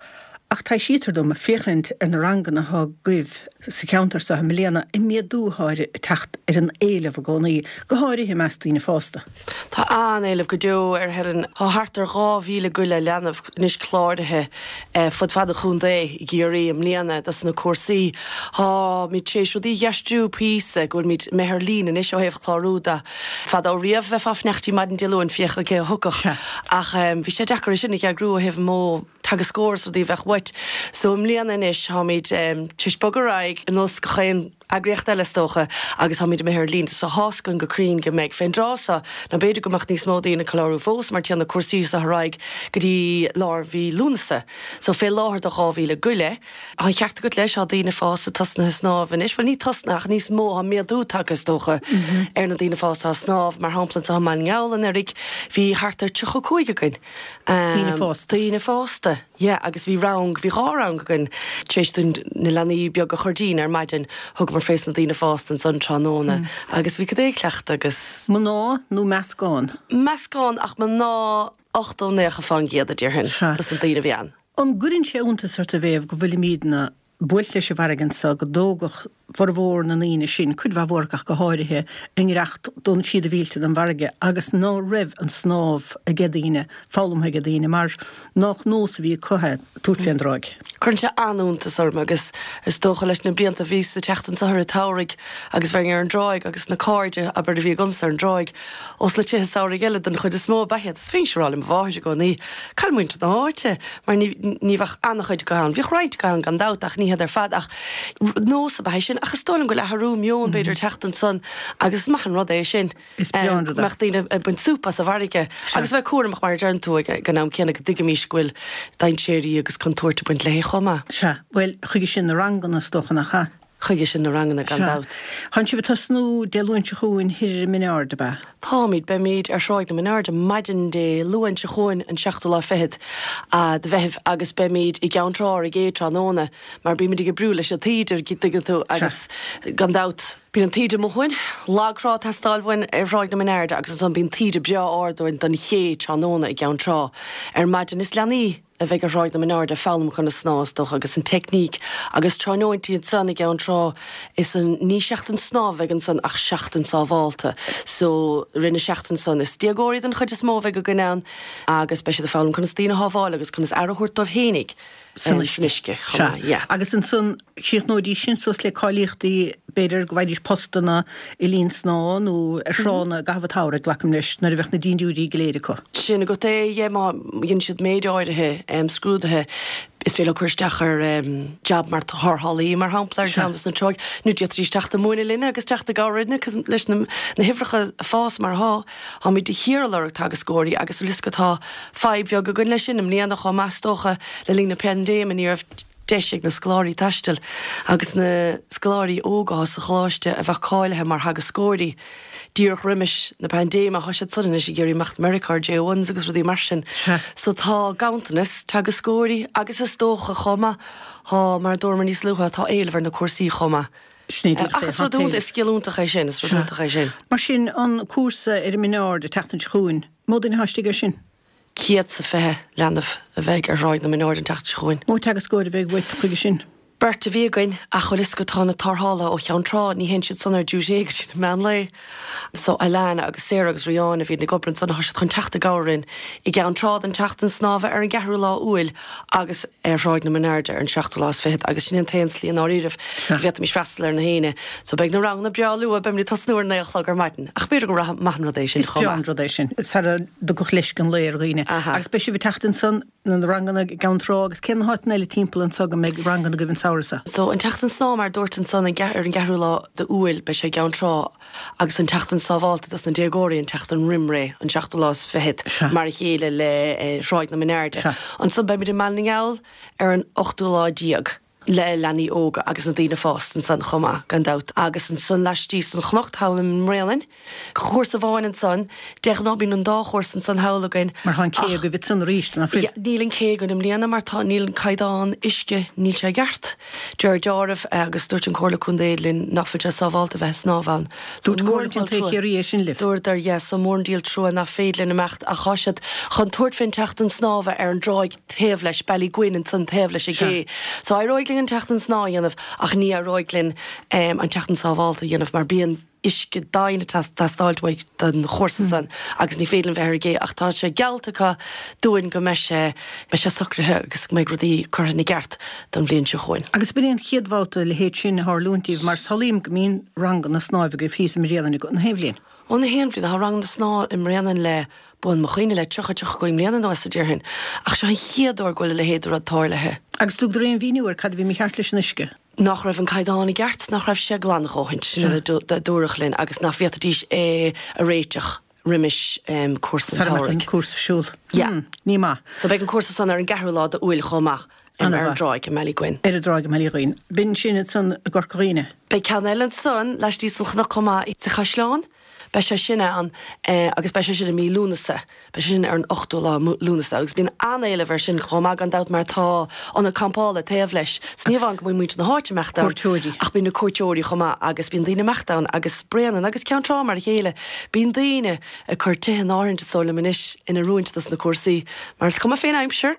Speaker 1: ach taibhsítear dom, féachaint ar na ranganna atá agaibh sa cheantar seo i mbliana, an méadú atá ag teacht ar an éileamh i gcónaí, go háirithe i measc daoine fásta.
Speaker 4: Tá an-éileamh go deo air, Helen. Tá thart ar 2,000 go leith leanbh anois cláraithe fud fad an chontae i gCiarraí i mbliana dos na cúrsaí. Táimid tar éis rudaí a dh'aistriú píosa, go bhfuilimid imithe ar líne anois ó thaobh clárú de. Fadó riamh bheifeá ag fanacht maidin Dé Luain féachaint cé a thiocfadh ach bhí sé deacair é sin a eagrú ó thaobh an modh teagascóir is rudaí a bheadh uait. So i mbliana anois táimid tar éis bogadh ar aghaidh ar nós gach aon eagraíocht eile is dócha agus táimid imithe ar líne so tá's againn go cruinn go mbeidh fén dtráth seo nó b'fhéidir go mbeadh níos mó daoine ag clárú fós mar téann na cúrsaí seo ar aghaidh go dtí lár mhí Lúnasa. So fé láthair tá 2,000 go leith. Tá an ceart agat leis, tá daoine fásta tosnaithe ag snámh anois, bhuel ní tosnaithe ach níos mó, tá méadú tagtha is dócha ar na daoine fásta atá ag snámh, mar shampla anseo i mBaile na nGall anuraidh bhí thart ar 35 againn.
Speaker 1: Daoine fásta.
Speaker 4: Daoine fásta, yeah, agus bhí rang, bhí dhá rang againn tar éis dúinn na leanaí beaga a chur dínn ar maidin, thugamar fés na daoine fásta ansan tráthnóna agus bhí cuid ag cleachtadh agus.
Speaker 1: Mná nó meascán?
Speaker 4: Meascán ach mná 80, 90 fán gcéad a déarfainn, dos na daoine a bhí ann.
Speaker 1: An gcuireann sé iontas ort a Mhéabh go bhfuilimídne buailte leis an bhfarraige anso, go dtógadh formhór na ndaoine sin, cuid mhaith mhór acu ach go háirithe, a ngiorracht don siad a mhílte don bhfarraige agus ná raibh an snámh aige daoine, foghlamtha aige daoine, mar nách nós a bhí acu é tabhairt fén dtráigh.
Speaker 4: Cuireann sé an-iontas orm agus is dócha leis na blianta bhíos ag teacht anso i rith an tsamhraidh agus bheinn ar an dtráigh agus na cairde, abair, a bhí agamsa ar an dtráigh, Ós na tithe samhraidh eile den chuid is mó ab ea iad. Is bhínnse ag rá le mo mháthair i gcónaí, Cá bhfuil muintir na háite? Mar ní, ní bheadh an-chuid acu ann. Bhíodh roinnt acu ann gan dabht ach ní hiad ar fad. Ach nós ab ea é sin. sin ach is dóigh liom go bhfuil athrú meoin b'fhéidir ag teacht ansan agus is maith an rud é sin.
Speaker 1: Is breá an rud
Speaker 4: é. Go mbeadh daoine ag baint súp as an bhfarraige agus a bheith cúramach mar a deireann tú ag an am céanna go dtuigimís go bhfuil dainséirí agus contúirt ag baint léi chomh maith.
Speaker 1: Sea. Bhuel, chuige sin na ranganna is dócha, nach ea?
Speaker 4: Chuige sin na ranganna, gan dabht.
Speaker 1: Tánn sibh ag tosnú Dé Luain seo chugainn thoir ar an Mhin Aird, ab ea?
Speaker 4: Táimid. Beimid ar Thráigh na Mine Airde maidin Dé Luain seo chugainn, an seachtú lá fichead de Mheitheamh, agus beimid i gCeann Trá ar an gcé tráthnóna, mar bímid ag oibriú leis an taoide, an dtuigeann tú, agus gan dabht, bíonn an taoide amuigh uainn, lagthrá ag teastáil uainn ar Thráigh na Mine Airde, agus ansan bíonn taoide breá ard uainn don ché tráthnóna i gCeann Trá ar maidin. Is leanaí. a bheidh ar Thráigh na Mine Airde ag foghlaim conas snámh, is dócha, agus an teicníc agus tráthnóintí ansan i gCeann Trá is an, ní seachtain snámha a bheidh ansan ach seachtain sábhálta. So, rith na seachtaine san, is déagóirí den chuid is mó a bheidh againn ann agus beidh siad ag foghlaim conas daoine a shábháil agus conas aire a thabhairt dóibh fhéinig
Speaker 1: san uisce chomh maith, yeah. Agus ansan chríochnóidís sin suas le cáilíochtaí, b'fhéidir go bhfaighidís postanna i linn snámha nó ar thránna i gcaitheamh an tsamhraidh, glacaim leis, nuair a bheadh na dindiúirí go léir acu.
Speaker 4: Sin agat é, yeah, má dhéanann siad méid áirithe scrúduithe, is féidir leo cur isteach ar jab mar thárrthálaí, mar shampla, ar cheann de na tráigh, nó d'fhéadfaidís teacht ag múineadh linne agus teacht i gcabhair linne leis na huimhreacha ag fás mar atá. Táimid de shíor ag lorg teagascóirí agus bhfuil fhios agat tá fadhb bheag againn leis sin i mbliana chomh maith is dócha le linn na paindéime ní raibh deis ag na scoláirí taisteal agus na scoláirí óga sa choláiste a bheadh cáilithe mar theagascóirí díreach roimis na paindéime, tá siad san anois ag iarraidh imeacht Meiriceá ar J1s agus rudaí mar sin. So tá ganntanas teagascóirí agus is dócha chomh maith, tá, mar a dúramar níos luaithe, tá éileamh ar na cúrsaí chomh maith.
Speaker 1: Sin é díreach
Speaker 4: é. Ach is rud iontach, is scil iontach é sin, is rud iontach é sin.
Speaker 1: Mar sin, an cúrsa ar an Min Ard an tseachtain seo chugainn, mó duine atá istigh air sin?
Speaker 4: 120 leanbh a bheidh ar Thráigh na Mine Airde an tseachtain seo chugainn.
Speaker 1: Mó teagascóir a bheidh uait chuige sin?
Speaker 4: Beirt a bhí againn, ach bhfuil fhios agat tá na tarrthálaithe ó Cheann Trá, ní théann siad san ar duty go dtí na meán lae. So Alana agus Sarah agus Riáin a bhíonn ag obair ansan, tá siad chun teacht i gcabhair orainn i gCeann Trá don tseachtain snámha ar an gceathrú lá Iúil agus ar Thráigh na Mine Airde ar an seachtú lá is fichead agus sin é an t-aon slí i ndáiríribh go bhféadfaimis freastal ar na héinne. So beidh na ranganna breá luath, beimid ag tosnú ar a naoi a chlog ar maidin. Ach b'fhéidir gur maith an rud é sin
Speaker 1: Is
Speaker 4: chomh
Speaker 1: breá an
Speaker 4: maith.
Speaker 1: rud é sin, sara dtiocfadh leisce an lae ar dhaoine.
Speaker 4: Aha.
Speaker 1: Agus beidh sibh ag teacht ansan na ranganna i gCeann Trá agus cé na háiteanna eile timpeall anso go mbeidh ranganna agaibh an samhradh
Speaker 4: seo? So an tseachtain snámha mar a dúirt ansan an ar an gceathrú lá de Iúil beidh sé i gCeann Trá agus an tseachtain sábhálta dos na déagóirí an tseachtain roim ré, an seachtú lá is fichead,
Speaker 1: Sea.
Speaker 4: mar a chéile le Thráigh na Mine Airde.
Speaker 1: Sea.
Speaker 4: Ansan beimid i mBaile na nGall ar an ochtú lá déag. le leanaí óga agus na daoine fásta ansan chomh maith, gan dabht. Agus ansan laistíos den chnoc thall i mBréanainn, cúrsa amháin ansan, de ghnáth bíonn an dá chúrsa ansan thall againn
Speaker 1: Mar tá an cé
Speaker 4: ach
Speaker 1: agaibh ansan arís, ná fuil?
Speaker 4: níl an cé againn i mbliana mar tá, níl an caighdeán uisce, níl sé i gceart. Deir deáramh agus dúirt an Comhairle Contae linn nach bhfuil sé sábhálta bheith ag snámh ann.
Speaker 1: So Dúirt mór Comhairle an Contae trua. Chiarraí é sin libh?
Speaker 4: Dúradar, yeah, so mór an díol trua nach féidir linn imeacht ach tá siad chun tabhairt fén tseachtain snámha ar an dtráigh taobh leis, Ballyguin ansan taobh leis an gcé. So éireoidh linn an tseachtain snámha a dhéanamh ach ní éireoidh linn an tseachtain sábhálta a dhéanamh mar bíonn uisce doimhin ag teastáilt uaidh don chúrsa san agus ní féidir linn bheith ar an gcé ach tá sé geallta acu dúinn go mbeidh sé, beidh sé socraithe agus go mbeidh rudaí curtha ina gceart don bhliain seo chugainn.
Speaker 1: Agus b'in é an chéad bhabhta a leithéid sin a tharlúint daoibh mar samhlaím go mbíonn ranganna snáimh agaibh thíos i mBréanainn na haon bhliain.
Speaker 4: Ó na haon bhliain, tá ranganna snámha i mBréanainn le buan mo chuimhne, le 30, 35 mbliana anuas, a déarfainn. Ach seo an chéad uair go bhfuil a leithéid de rud tarlaithe.
Speaker 1: Agus thugadar aon mhíniú ar cad a bhí mícheart leis an uisce?
Speaker 4: Nach raibh an caighdeán i gceart, nach raibh sé glan a dhóthaint, sin a dúradh linn, agus nach bhféadfaidís é a réiteach roimis cúrsa an
Speaker 1: Sara mbeadh an
Speaker 4: tsamhraidh.
Speaker 1: cúrsa ar siúl.
Speaker 4: Yeah.
Speaker 1: Hmm, ní maith.
Speaker 4: So beidh an cúrsa san ar an gceathrú lá d'Iúil chomh maith. Ar an dtráigh i mBallyguin.
Speaker 1: Ar an dtráigh i mBallyguin. B'in sin ansan i gCorca Dhuibhne.
Speaker 4: Beidh ceann eile ansan laistíos den chnoc chomh maith sa Chaisleán. Beidh sé sin ann agus beidh sé sin i mí Lúnasa. Beidh sé sin ar an ochtú lá Lúnasa agus bíonn an-éileamh air sin chomh maith gan dabht mar tá ionad campála taobh leis. So ní amháin go mbíonn muintir na háite ag imeacht ann
Speaker 1: Cuairteoirí.
Speaker 4: ach bíonn na cuairteoirí chomh maith agus bíonn daoine ag imeacht ann agus Bréanainn agus Ceann Trá mar a chéile. Bíonn daoine ag cur tithe in áirithint is dóigh liom anois in oiriúint dos na cúrsaí mar is cuma fén aimsir.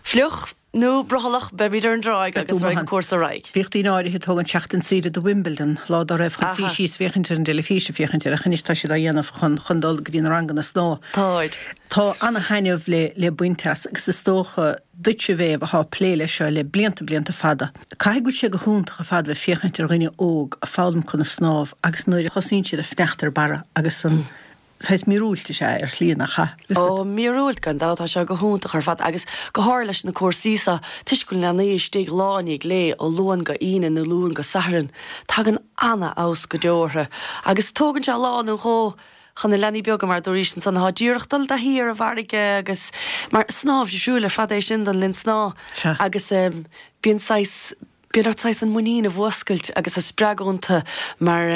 Speaker 4: Fliuch nó brothallach, beimid ar an dtráigh agus raghaidh an cúrsa ar aghaidh.
Speaker 1: Bhíodh daoine áirithe ag tógaint seachtain saoire do Wimbledon lá dá raibh chun suí
Speaker 4: Aha.
Speaker 1: síos féachaint ar an dteilifís ag féachaint air ach anois tá siad á dhéanamh chun chun dul go dtí na ranganna snámha.
Speaker 4: Táid.
Speaker 1: Tá ana-thaitneamh le le baint as agus is dócha duitse a Mhéabh athá ag plé leis seo le blianta blianta fada. Caithfidh go bhfuil sé go hiontach ar fad bheith féachaint ar dhuine óg ag foghlaim conas snámh agus nuair a thosaíonn siad ag fanacht ar barra agus an. Saghas míorúilt is ea é ar shlí, nach ea?
Speaker 4: Ó, míorúilt gan dabht, tá sé go hiontach ar fad agus go háirithe leis na cúrsaí seo, toisc go bhfuil na leanaí istigh lá i ndiaidh lae ó Luan go Aoine nó Luan go Satharn, tagann ana-fheabhas go deo orthu agus tógann sé lá nó dhó chun na leanaí beaga mar a dúraís ansan atá díreach dul i dtaithí ar an bhfarraige agus mar snámh difriúil ar fad é sin don linn snámha agus bíonn saghas Bíonn ort saghas an muinín a mhúscailt agus a spreagadh iontu mar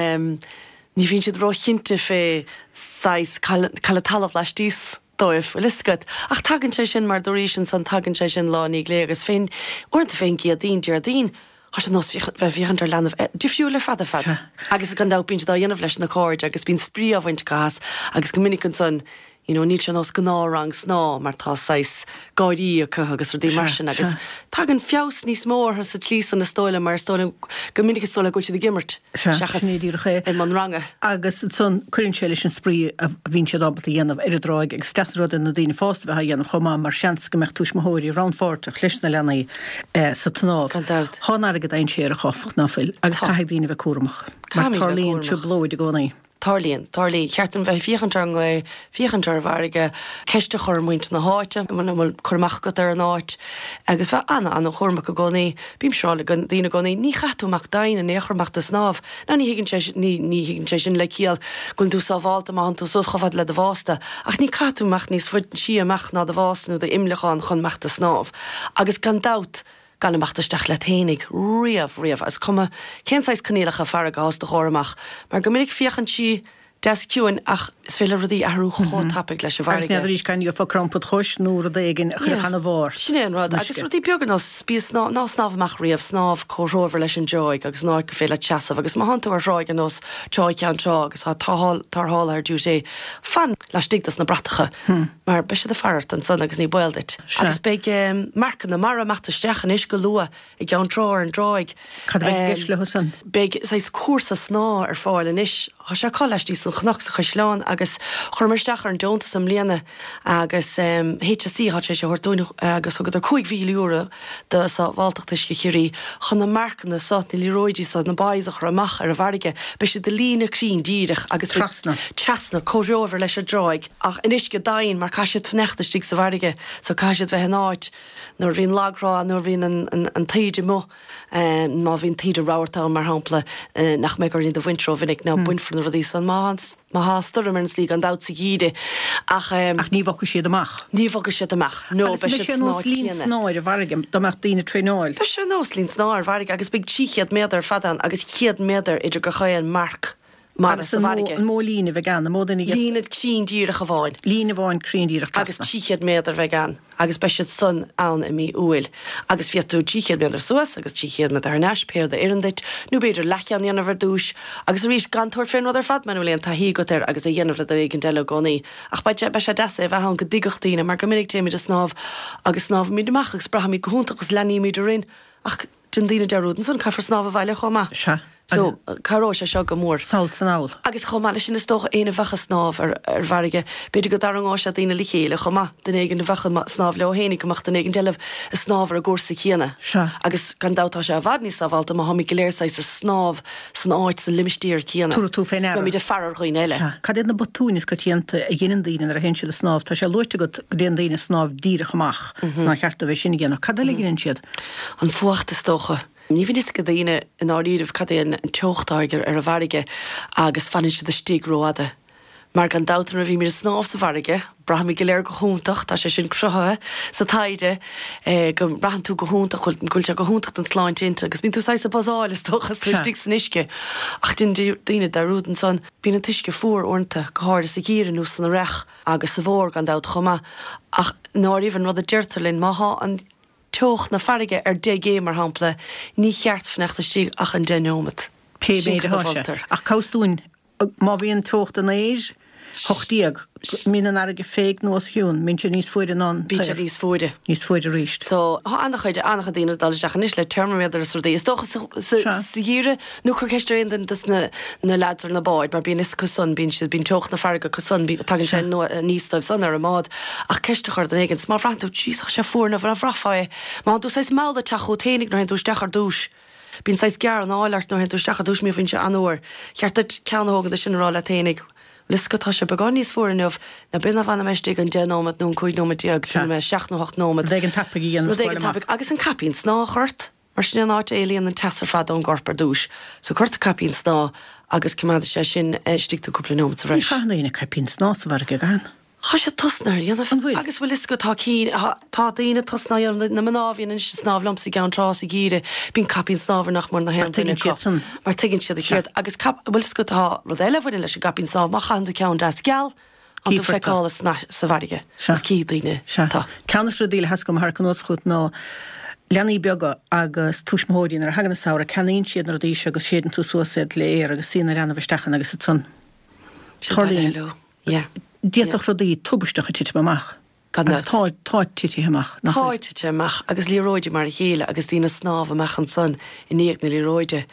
Speaker 4: ní bhíonn siad róchinnte fé saghas cá bhfuil an talamh laistíos dóibh, bhfuil fhios agat. Ach tagann sé sin, mar dúraís ansan, tagann sé sin lá i ndiaidh lae agus fén, uaireanta fén gCéadaoin, Déardaoin, tá sé nós bheith ag féachaint ar leanbh difriúil ar fad ar fad. Agus gan dabht bíonn siad á dhéanamh leis na cairde agus bíonn spraoi á bhaint acu as agus go minic ansan you know níl sé nós gnáthrang snámha mar tá saghas gáirí acu agus rudaí mar sin agus tagann feabhas níos mó orthu sa tslí san is dóigh liom mar is dóigh liom go minic is dóigh liom go bhfuil siad ag imirt seachas
Speaker 1: sin é díreach é.
Speaker 4: i mbun ranga.
Speaker 1: Agus ansan cuireann sé leis an spraoi a bhíonn siad ábalta a dhéanamh ar an dtráigh agus is deas an rud é na daoine fásta a bheith á dhéanamh chomh maith mar seans go mbeadh tuismitheoirí rannpháirteach leis na leanaí sa tsnámh.
Speaker 4: Gan dabht.
Speaker 1: Tá an fharraige dainséarach áfach, ná fuil? Agus
Speaker 4: Tá.
Speaker 1: caithfidh daoine a bheith cúramach mar
Speaker 4: Caithfimid a bheith
Speaker 1: tarlaíonn
Speaker 4: cúramach.
Speaker 1: trioblóid i gcónaí.
Speaker 4: Tarlaíonn. Tarlaíonn. Cheart dúinn bheith ag féachaint ar an ngaoth, féachaint ar an bhfarraige, ceist a chur ar mhuintir na háite, an bhfuil cur amach agat ar an áit, agus bheith an-an-chúramach i gcónaí. Bímse ag rá le daoine i gcónaí, ní chaithfidh tú imeacht domhain in aon chor imeacht ag snámh. Now ní thuigeann sé sin, ní, ní thuigeann sé sin le ciall go bhfuil tú sábhálta má thánn tú suas chomh fada le do bhásta, ach ní caithfidh tú imeacht níos faide siar amach ná do bhás nó d'imleacán chun imeacht ag snámh. Agus gan dabht, Gan imeacht isteach leat fhéinig, riamh, riamh, is cuma cén saghas coinníollacha farraige atá os do chomhair amach, mar go minic féachann sí deas ciúin ach is féidir le rudaí athrú chomh tapaidh leis an
Speaker 1: Agus
Speaker 4: bhfarraige.
Speaker 1: n'fheadar arís can gheofá crampa id chois nó rud éigin a chuirfeadh ana-bharr ort
Speaker 4: Sin é an rud.
Speaker 1: san
Speaker 4: Agus
Speaker 1: uisce.
Speaker 4: rudaí beaga ar nós bí snámh, ná snámh amach riamh, snámh comhthreomhar leis an dtráigh agus an áit gur féidir leat seasamh agus má thánn tú ar thráigh ar nós Trá Cheann Trá agus tá tarrthálaithe ar duty, fan laistigh dos na bratacha. Mar beidh siad ag faire ort ansan agus ní baol duit. Agus beidh marcanna mara ag imeacht isteach anois go luath i gCeann Trá ar an dtráigh.
Speaker 1: Cad a bheidh i gceist leo san?
Speaker 4: Beidh saghas cúrsa snámha ar fáil anois. Tá sé acu laistíos den chnoc sa Chaisleán agus chuireamar isteach ar an deontas i mbliana agus HSE atá tar éis é a thabhairt dúinn agus thugadar €5,000 do Sábháilteacht Uisce Chiarraí chun na marcanna so, na liathróidí so, na buoys a chur amach ar an bhfarraige. Beidh siad i líne cruinn díreach agus beidh.
Speaker 1: Trasna.
Speaker 4: Trasna, comhthreomhar leis an dtráigh. Ach in uisce domhain mar caithfidh siad fanacht istigh sa bhfarraige so caithfidh siad bheith in áit nuair a bhíonn lagthrá nuair a bhíonn an an taoide amuigh má bhíonn taoide rabharta ann mar shampla nach mbeidh orainn iad a bhaint rómhinic nó bainfear na rudaí san má má thá stoirm ar an tslí gan dabht sa gheimhreadh ach.
Speaker 1: Ach ní bhogfaidh siad amach.
Speaker 4: Ní bhogfaidh siad amach no
Speaker 1: Agus
Speaker 4: beidh
Speaker 1: beidh
Speaker 4: siad
Speaker 1: sé
Speaker 4: san
Speaker 1: nós
Speaker 4: áit
Speaker 1: linn
Speaker 4: chéanna.
Speaker 1: snámh ar an bhfarraige dá mbeadh daoine ag traenáil.
Speaker 4: Beidh sé nós linn snámh ar an bhfarraige agus beidh 300 méadar fad ann agus 100 méadar idir gach aon marc mara
Speaker 1: Agus
Speaker 4: sa
Speaker 1: an mó,
Speaker 4: bhfarraige.
Speaker 1: an mó líne a bheidh ann, an mó duine a.
Speaker 4: Líne cruinn díreach amháin.
Speaker 1: Líne amháin cruinn díreach
Speaker 4: Agus
Speaker 1: trasna.
Speaker 4: 300 méadar a bheidh ann agus beidh siad san ann i mí Iúil. Agus féadfaidh tú 300 méadar suas agus 300 méadar thar n-ais, pé rud a oireann duit, nó b'fhéidir leathcheann a dhéanamh ar dtúis. Agus arís, gan tabhairt fén rud ar fad muna bhfuil aon taithí agat air agus é a dhéanamh le duine éigint eile i gcónaí. Ach beidh sé, beidh sé deas é a bheith ann go dtuigfeadh daoine, mar go minic téimid ag snámh agus snámhaimid amach agus braithimid go hiontach agus leanaímid orainn ach, Déanann daoine dearúd ansan, caithfear snámh abhaile chomh maith.
Speaker 1: Sea.
Speaker 4: So, cabhróidh sé seo go mór.
Speaker 1: Sall 's anall.
Speaker 4: Agus chomh maith leis sin, is dócha, éinne a bheadh ag snámh ar ar bhfarraige, b'fhéidir go dtarraingeodh sé daoine le chéile chomh maith, duine éigin a bheadh ag snámh leo fhéinig, go mbeadh duine éigin eile ag snámh ar an gcúrsa céanna.
Speaker 1: Sea.
Speaker 4: Agus gan dabht tá sé i bhfad níos sábhálta má tháimid go léir saghas ag snámh san áit, sa limistéar céanna.
Speaker 1: Tabharfaidh tú fé ndeara.
Speaker 4: Beimid ag faire ar dhaoine eile.
Speaker 1: Sea. Cad iad na botúin is coitianta a dheineann daoine nuair a théann siad ag snámh? Tá sé luaite agat go dtéann daoine ag snámh díreach amach, 's nár cheart dóibh é sin a dhéanamh. Cad eile a dheineann siad?
Speaker 4: An fuacht, is dócha. Ní bhíonn fhios ag daoine i ndáiríribh cad é an teocht atá ar an bhfarraige agus fanann siad istigh rófhada. Mar gan dabht nuair a bhímid ag snámh sa bhfarraige, braithimid go léir go hiontach, tá sé sin cruthaithe sa taighde, go mbraitheann tú go hiontach, go bhfuil sé go hiontach don tsláinte intinne agus bíonn tú saghas ag buzzáil is dócha is tú istigh san uisce. Ach déanann daoine dearúd ansan, bíonn an t-uisce fuar uaireanta, go háirithe sa gheimhreadh nó san earrach agus sa bhfómhar gan dabht chomh maith. Ach i ndáiríribh an rud a deirtear linn, má thá an. teocht na farraige ar 10 gcéim, mar shampla, ní cheart fanacht istigh ach an 10 neomat.
Speaker 1: Pé
Speaker 4: Sin
Speaker 1: méid
Speaker 4: cad a
Speaker 1: atá sé.
Speaker 4: mholtar.
Speaker 1: Ach cá bhfios dúinn, má bhíonn teocht an aeir 18, mbíonn an fharraige féig nó os a chionn, mbíonn sé níos fuaire ná an
Speaker 4: Bíonn sé
Speaker 1: t-aer.
Speaker 4: níos fuaire.
Speaker 1: Níos fuaire arís.
Speaker 4: So, tá an-chuid, an-chuid daoine ag dul isteach anois le teirmiméadar is rudaí. Is dócha sa, sa,
Speaker 1: Sea.
Speaker 4: sa gheimhreadh, nó cuir ceist ar aon duine des na, na leaids ar na báid, mar bíonn fhios acu san, bíonn siad, bíonn teocht na farraige acu san, bíonn, tagann sé aníos dóibh san ar an mbád. Ach ceist a chur ar dhuine éigin, 's má bhraitheann tú, jeez, tá sé fuar, nó má bhraithfeá é, má thánn tú saghas mall ag teacht chút fhéinig nuair a théann tú isteach ar dtúis, bíonn saghas gearranáil ort nuair a théann tú isteach ar dtúis, má bhíonn sé an-fhuar, cheart duit ceann a thógaint de sin a rá leat fhéinig. Bhfuil fhios agat, tá sé beagán níos fuaire inniu, ná b'in ná fanfaidh mé istigh an 10 nóiméad nó an 15 nóiméad, fanfaidh mé 7 nó 8 nóiméad.
Speaker 1: Rud éigin tapaidh a dhéanamh
Speaker 4: Rud éigin tapaidh. Agus an caipín snámha a chur ort, mar sin é an áit a éalaíonn an teas ar fad ón gcorp ar dtúis. So cuir ort caipín snámha agus coimeádfaidh sé sin istigh tú cúpla nóiméad sa
Speaker 1: bhreis. Ní chaitheann éinne caipín snámha sa bhfarraige, an gcaitheann?
Speaker 4: Tá siad tosnaithe á dhéanamh.
Speaker 1: An bhfuil?
Speaker 4: Agus bhfuil fhios agat, tá cinn, tá daoine tosnaithe á dhéanamh, na mná a bhíonn anois ag snámh liomsa i gCeann Trá sa gheimhreadh, bíonn caipín snámha ar nach mór na haon duine acu.
Speaker 1: Mar tuigeann siad san.
Speaker 4: Mar tuigeann siad a cheird. Agus cap, bhfuil fhios agat, tá rud eile a bhaineann leis an gcaipín snámha, má chaitheann tú ceann deas geal, tá tú feiceálach sa bhfarraige agus cífidh daoine
Speaker 1: Sea. tú. Ceann de na rudaí le theasc agam a tharrac anuas chugat ná leanaí beaga agus tuismitheoirí nuair a thagann an samhradh ceannaíonn siad na rudaí seo agus séideann tú suas iad le aer agus suíonn an leanbh isteach ann agus ansan
Speaker 4: Sin tarlaíonn. leo.
Speaker 1: Yeah. D'fhéadfadh rudaí tubaisteacha titim amach.
Speaker 4: Gan
Speaker 1: Agus
Speaker 4: dabht.
Speaker 1: tá, tá titithe amach,
Speaker 4: nach bhfuil? Tá titithe amach agus liathróidí mar a chéile agus daoine ag snámh amach ansan i ndiaidh na liathróide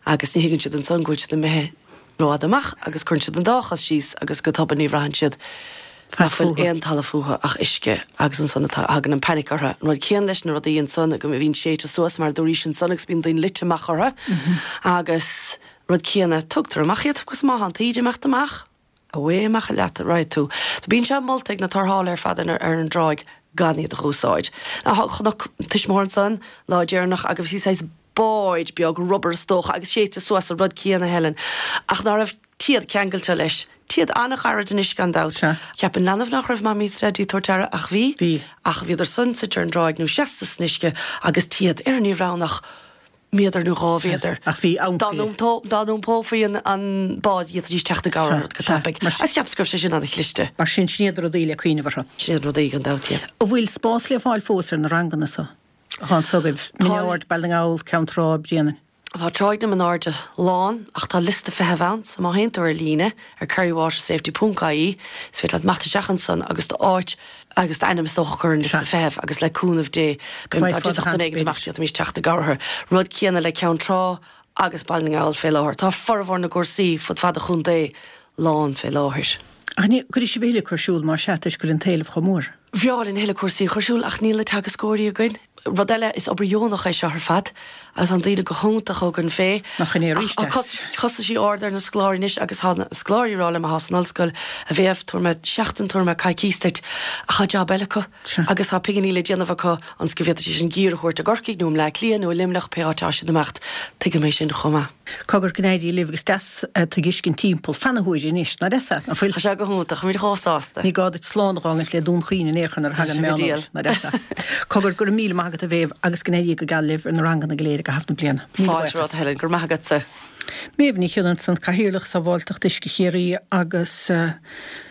Speaker 4: agus ní thuigeann siad ansan go bhfuil siad imithe rófhada amach agus cuireann siad an dá chos síos agus go tobann ní bhraitheann siad nach bhfuil aon talamh fúthu ach uisce agus ansan atá, thagann an panic orthu. An rud céanna leis na rudaí ansan go bhíonn séidte suas mar a dúraís ansan agus bíonn daoine luite amach orthu agus rud céanna, tugtar amach iad agus má tá an taoide ag imeacht amach, Away amach leat a raghaidh tú. So bíonn sé molta ag na tarrthálaithe ar fad ar an dtráigh gan iad a dh'úsáid. Now chonac tuismitheoir ansan lá deireanach agus bhí saghas báid beag rubber is dócha agus séidte suas an rud céanna Helen ach ná raibh téad ceangailte leis. Téad an-ghairid anois gan dabht.
Speaker 1: Sea.
Speaker 4: Cheap an leanbh nach raibh mamaí is daidí ag tabhairt aire ach bhí.
Speaker 1: Bhí.
Speaker 4: Ach bhíodar san suite ar an dtráigh nó seasta san uisce agus téad ar ní raibh ann ach méadar nó 2 mhéadar.
Speaker 1: Ach bhí
Speaker 4: Dá dá n-iompófaí an bád d'fhéadfaidís teacht i gcabhair ort go tapaidh. Agus cheapas go raibh sé sin an-chliste.
Speaker 1: Mar sin, sin iad na rudaí le cuimhneamh orthu.
Speaker 4: Sin iad na rudaí gan dabht, yeah.
Speaker 1: An bhfuil spás le fáil fós ar na ranganna so atá anso agaibh, Min Ard, Baile na nGall, Ceann Trá, Bréanainn?
Speaker 4: Tá Tráigh na Min Airde lán ach tá liosta feithimh ann so má théann tú ar líne ar kerrywatersafety ponc ie is féidir leat imeacht isteach ansan agus d'áit agus d'ainm is dócha a chur ar an liosta feithimh agus le cúnamh Dé beidh dá dtiocfadh duine éigin amach d'fhéadfaimis teacht i gcabhair orthu. Rud céanna le Ceann Trá agus Baile na nGall fé láthair. Tá formhór na gcúrsaí fud fad an chontae lán fé láthair.
Speaker 1: Ach ní cuirfidh sibh a thuilleadh ar siúl más ea toisc go bhfuil an t-éileamh chomh mór.
Speaker 4: Bhreá linn a thuilleadh cúrsaí a chur ar siúl ach níl na teagascóirí againn. Rud eile, is obair dheonach é seo ar fad agus tá na daoine go hiontach againn fé.
Speaker 1: Nach in é arís
Speaker 4: é. Ach tá costaisí arda ar na scoláirí anois agus tá na scoláirí ag rá liom atá san ollscoil, a Mhéabh, tabharfaidh mé seachtain, tabharfaidh mé coicís duit ach tá jab eile acu agus tá pinginí le déanamh acu ionas go bhféadfaidís an gear a thabhairt i gCorcaigh nó i mBleá Cliath nó i Luimneach, pé áit atá siad ag imeacht. Tuigim é sin chomh maith.
Speaker 1: Cogar go n-éirí libh agus deas tú ag fheiscint timpeall feadh na huaire anois, nach deas é,
Speaker 4: nach bhfuil? Tá sé go hiontach, táimid chomh sásta.
Speaker 1: Ní gá duit slán a dh'fhágaint le Dún Chaoin in aon chor nuair a thagann
Speaker 4: meán fómhair,
Speaker 1: nach deas é. Cogar go raibh míle maith agat a Mhéabh agus go n-éirí go geal libh ar na ranganna go léir i gcaitheamh na bliana.
Speaker 4: Míle Fáilte romhat a Helen, go raibh maith agatsa.
Speaker 1: Méabh Ní Chionnaith ansan, Cathaoirleach Sábháilteacht Uisce Chiarraí agus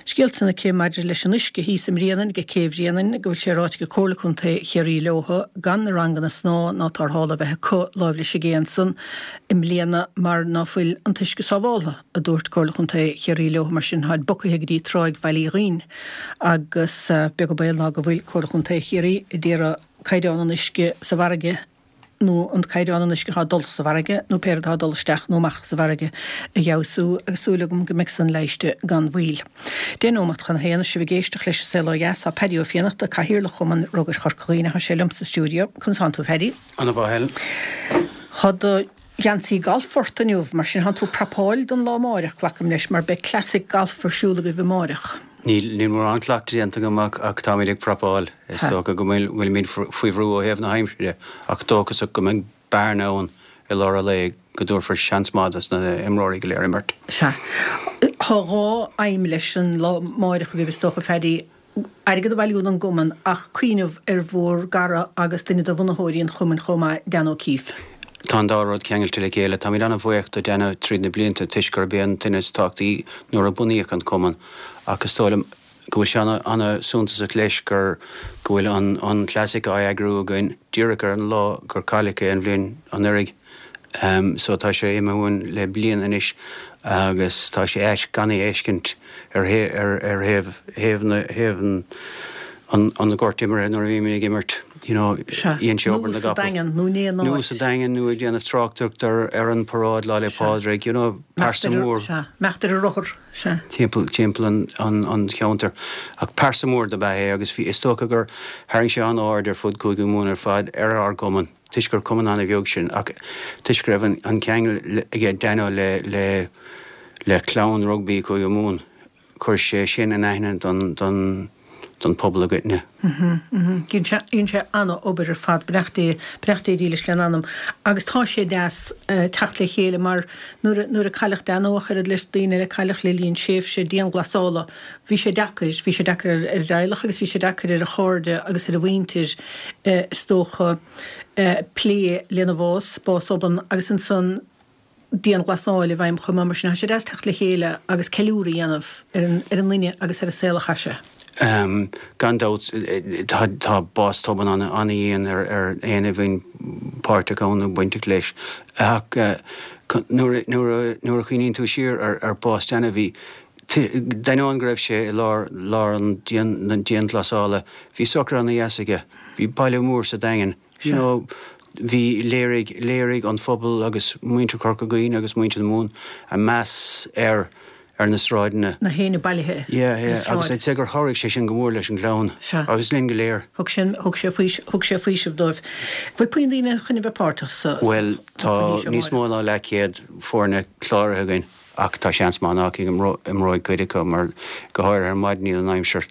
Speaker 1: scéal ansan aici maidir leis an uisce thíos i mBréanainn, ag Cé Bhréanainn, go bhfuil sé ráite ag Comhairle Contae Chiarraí leothu gan na ranganna snámha ná tarrthála a bheith acu láimh leis an gcé ansan i mbliana mar ná fuil an t-uisce sábháltha, a dúirt Comhairle Chontae Chiarraí leothu. Mar sin, táid bogtha go dtí Tráigh Bhaile Uí Dhuinn agus beag an baol ná go bhfuil Comhairle Chontae Chiarraí a d'iarraidh caighdeán an uisce sa bhfarraige nó an caighdeán an uisce atá ag dul sa bhfarraige nó pé rud atá ag dul isteach nó amach sa bhfarraige a fheabhsú agus súil agam go mbeidh san leighiste gan mhoill. Deich nóimeat chun a haon, is sibh ag éisteacht leis an Saol Ó Dheas, tá Paddy Ó Fiannachta, Cathaoirleach Chumann Rugair Chorca Dhuibhne, tá sé liom sa stiúideo. Conas tánn tú, a Phaddy?
Speaker 2: Ana-mhaith, Helen.
Speaker 1: Tá do gheansaí gailf ort inniu, mar sin tánn tú ag prapáil don lá amáireach, glacaim leis, mar beidh Classic Golf ar siúl agaibh amáireach.
Speaker 2: Níl, níl mórán cleachtaidh déanta agam ach, ach táimid ag prapáil. Is dócha go bhfuil, bhfuilimid faoi bhrú ó thaobh na haimsire ach dóchasach go mbeidh bearna ann i lár an lae go dtabharfar seans maith dos na himreoirí go léir imirt.
Speaker 1: Sea. Tá dhá aidhm leis an lá amáireach agaibh is dócha, Phaddy. airgead a bhailiú don gcumann ach cuimhneamh ar bhur gcara agus duine de bhunaitheoirí an chumainn chomh maith, Dan O'Keefe.
Speaker 2: Tá an dá rud ceangailte le chéile. Táimid an-bhuíoch do Danno tríd na blianta toisc gurb é an duine is tábhachtaí nuair a bunaíodh an cumann ach is dóigh liom go bhfuil sé an-suntasach leis gur go bhfuil an Classic á eagrú againn díreach ar an lá gur cailleadh é an bhliain anuraidh. So tá sé imithe uainn le bliain anois agus tá sé ait gan é a fheiscint ar ar thaobh thaobh na thaobh an an an ghoirt imeartha nuair a bhímid ag imirt you know
Speaker 1: dhein
Speaker 2: sé obair
Speaker 1: na gcapall. Daingean nó in aon áit.
Speaker 2: Nó sa Daingean nó ag déanamh tráchtaireacht ar ar an paráid Lá 'le Pádraig you know pearsa mór.
Speaker 1: Sea, imeacht ar a rothar,
Speaker 2: sea. Timpeall timpeall an an an cheantair ach pearsa mór dob ea é agus bhí is dócha gur tharraing sé an-aird ar fud Cúige Mumhan ar fad ar ár gcumann. toisc gur cumann an-bheag sinn, ach toisc go raibh an ceangal aige Danno le le le clann rugbaí Chúige Mumhan. Chuir sé sin in aithne don, don, don phobal i gcoitinne.
Speaker 1: Dhein sé, dhein sé ana-obair ar fad, beannacht Dé, beannacht Dé dílis lena anam. Agus tá sé deas teacht le chéile mar nuair a, nuair a cailleadh Danno ach oiread leis daoine eile a cailleadh le linn tréimhse dianghlasála, bhí sé deacair, bhí sé deacair ar, ar a dteaghlach agus bhí sé deacair ar a chairde agus ar a mhuintir is dócha plé lena bhás, bás obann agus ansan, dianghlasáil i bhfeidhm chomh maith. Mar sin, tá sé deas teacht le chéile agus ceiliúradh a dhéanamh ar an ar an nduine agus ar an saol a chaith sé.
Speaker 2: Gan dabht, tá bás tobann an-dhian ar éinne a bhíonn páirteach ann nó bainteach leis. Ach nuair a chuimhníonn tú siar ar bás Danny, bhí, d'ainneoin go raibh sé i lár lár an na dianghlasála, bhí socruithe ana-dheas aige. Bhí baile mór sa Daingean. You know, bhí, léirigh, léirigh an phobal agus muintir Chorca Dhuibhne agus muintir na Mumhan a meas air ar na sráideanna.
Speaker 1: Na héinne bailithe
Speaker 2: Yeah, yeah, agus I'd say gur chabhraigh sé sin go mór leis an gclann agus linn go léir.
Speaker 1: Thug sé, thug sé faois, thug sé faoiseamh dóibh. Bhfuil puinn daoine chun a bheith páirteach sa,
Speaker 2: Bhuel, tá níos mó ná leathchéad foirne cláraithe againn ach tá seans maith nach imreoidh cuid acu mar go háirithe ar maidin níl an aimsir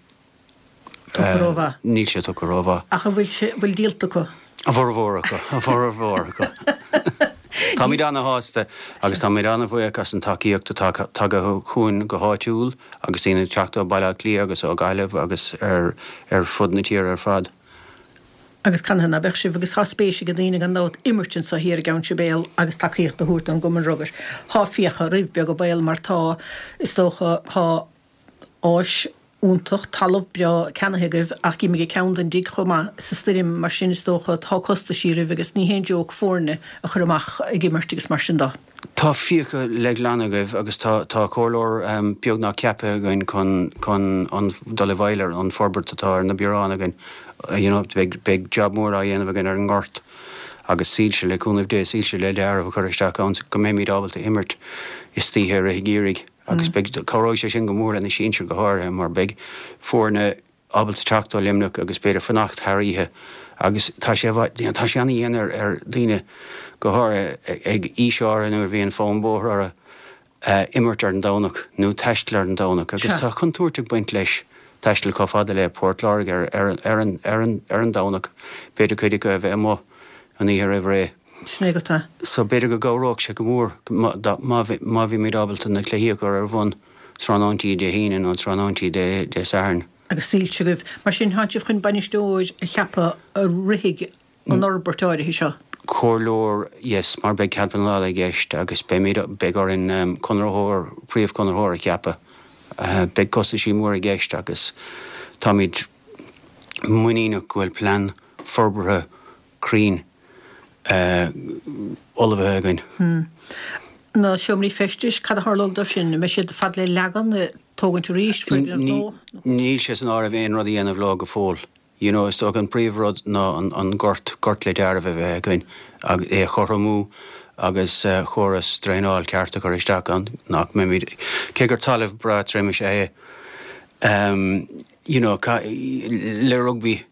Speaker 1: Tugtha rómhaith.
Speaker 2: Níl sé tugtha rómhaith.
Speaker 1: Ach an bhfuil sé, bhfuil díolta acu?
Speaker 2: A bhformhór acu, a bhformhór acu. Táimid ana-shásta agus táimid ana-bhuíoch as an tacaíocht atá tagtha chugainn go háitiúil agus daoine ag teacht ó Bhaile Átha Cliath agus ó Ghaillimh agus ar ar fud na tíre ar fad.
Speaker 1: Agus canathaobh ná beadh sibh, agus tá spéis ag daoine gan dabht imirt anso thiar i gCeann Sibéal agus tacaíocht a thabhairt don gCumann Rugair. Tá fiacha roimh, beag an baol, mar tá, is dócha, tá áis iontach, talamh breá ceannaithe agaibh ach gheobhaidh muid ceann don dtigh chomh maith sa stoirm, mar sin is dócha tá costaisí roimh agus ní haon joke foirne a chur amach ag imirt agus mar sin de.
Speaker 2: Tá fiacha le glanadh agaibh agus tá tá comhairleoir beagnach ceaptha againn chun chun an dul i bhfeighil ar an forbairt atá ar na bioráin againn. You know beidh beidh job mór á dhéanamh againn ar an ngort agus soilse le cúnamh Dé soilse le dealramh a chur isteach ann go mbeimid ábalta imirt istoíche i rith an gheimhridh. Agus beidh, cabhróidh sé sin go mór le na sinsir go háirithe mar beidh foirne ábalta teacht ó Luimneach agus b'fhéidir fanacht thar oíche agus tá sé, tá sé ana-dhian ar, ar daoine go háirithe ag aois áirithe nuair a bhíonn fonn bóthair orthu, imirt ar an Domhnach nó taisteal ar an Domhnach agus tá contúirt ag baint leis taisteal chomh fada le Port Láirge ar, ar, ar an, ar an, ar an Domhnach, b'fhéidir cuid acu a bheith amuigh an oíche roimh ré.
Speaker 1: Sin é agat é.
Speaker 2: So b'fhéidir go gcabhródh sé go mór má bhímid ábalta na cluichí a chur ar bun tráthnóintí Dé hAoine nó tráthnóintí Dé Sathairn.
Speaker 1: Agus soilse agaibh. Mar sin, tánn sibh chun bainisteoir a cheapadh a rithfidh an fhorbairt áirithe seo?
Speaker 2: Comhairleoir, yes, mar beidh cead pleanála i gceist agus beimid, beidh orainn conraitheoir, príomhchonraitheoir a cheapadh. Beidh costaisí móra i gceist agus táimid muiníneach go bhfuil plean forbartha cruinn ullmhaithe againn.
Speaker 1: Na seomraí feistis, cad a tharlóidh dóibh sin? An mbeidh siad fad le leagan, tógaint arís, foirgneamh nua?
Speaker 2: Níl sé san áireamh aon rud a dhéanamh leo go fóill. You know, is dócha an príomh rud ná an gort, gort le dealramh a bheith againn agus é a chothromú agus chóras draenáil ceart a chur isteach ann nach mbeimid, cé gur talamh breá tirim is ea é, you know, le rugbaí.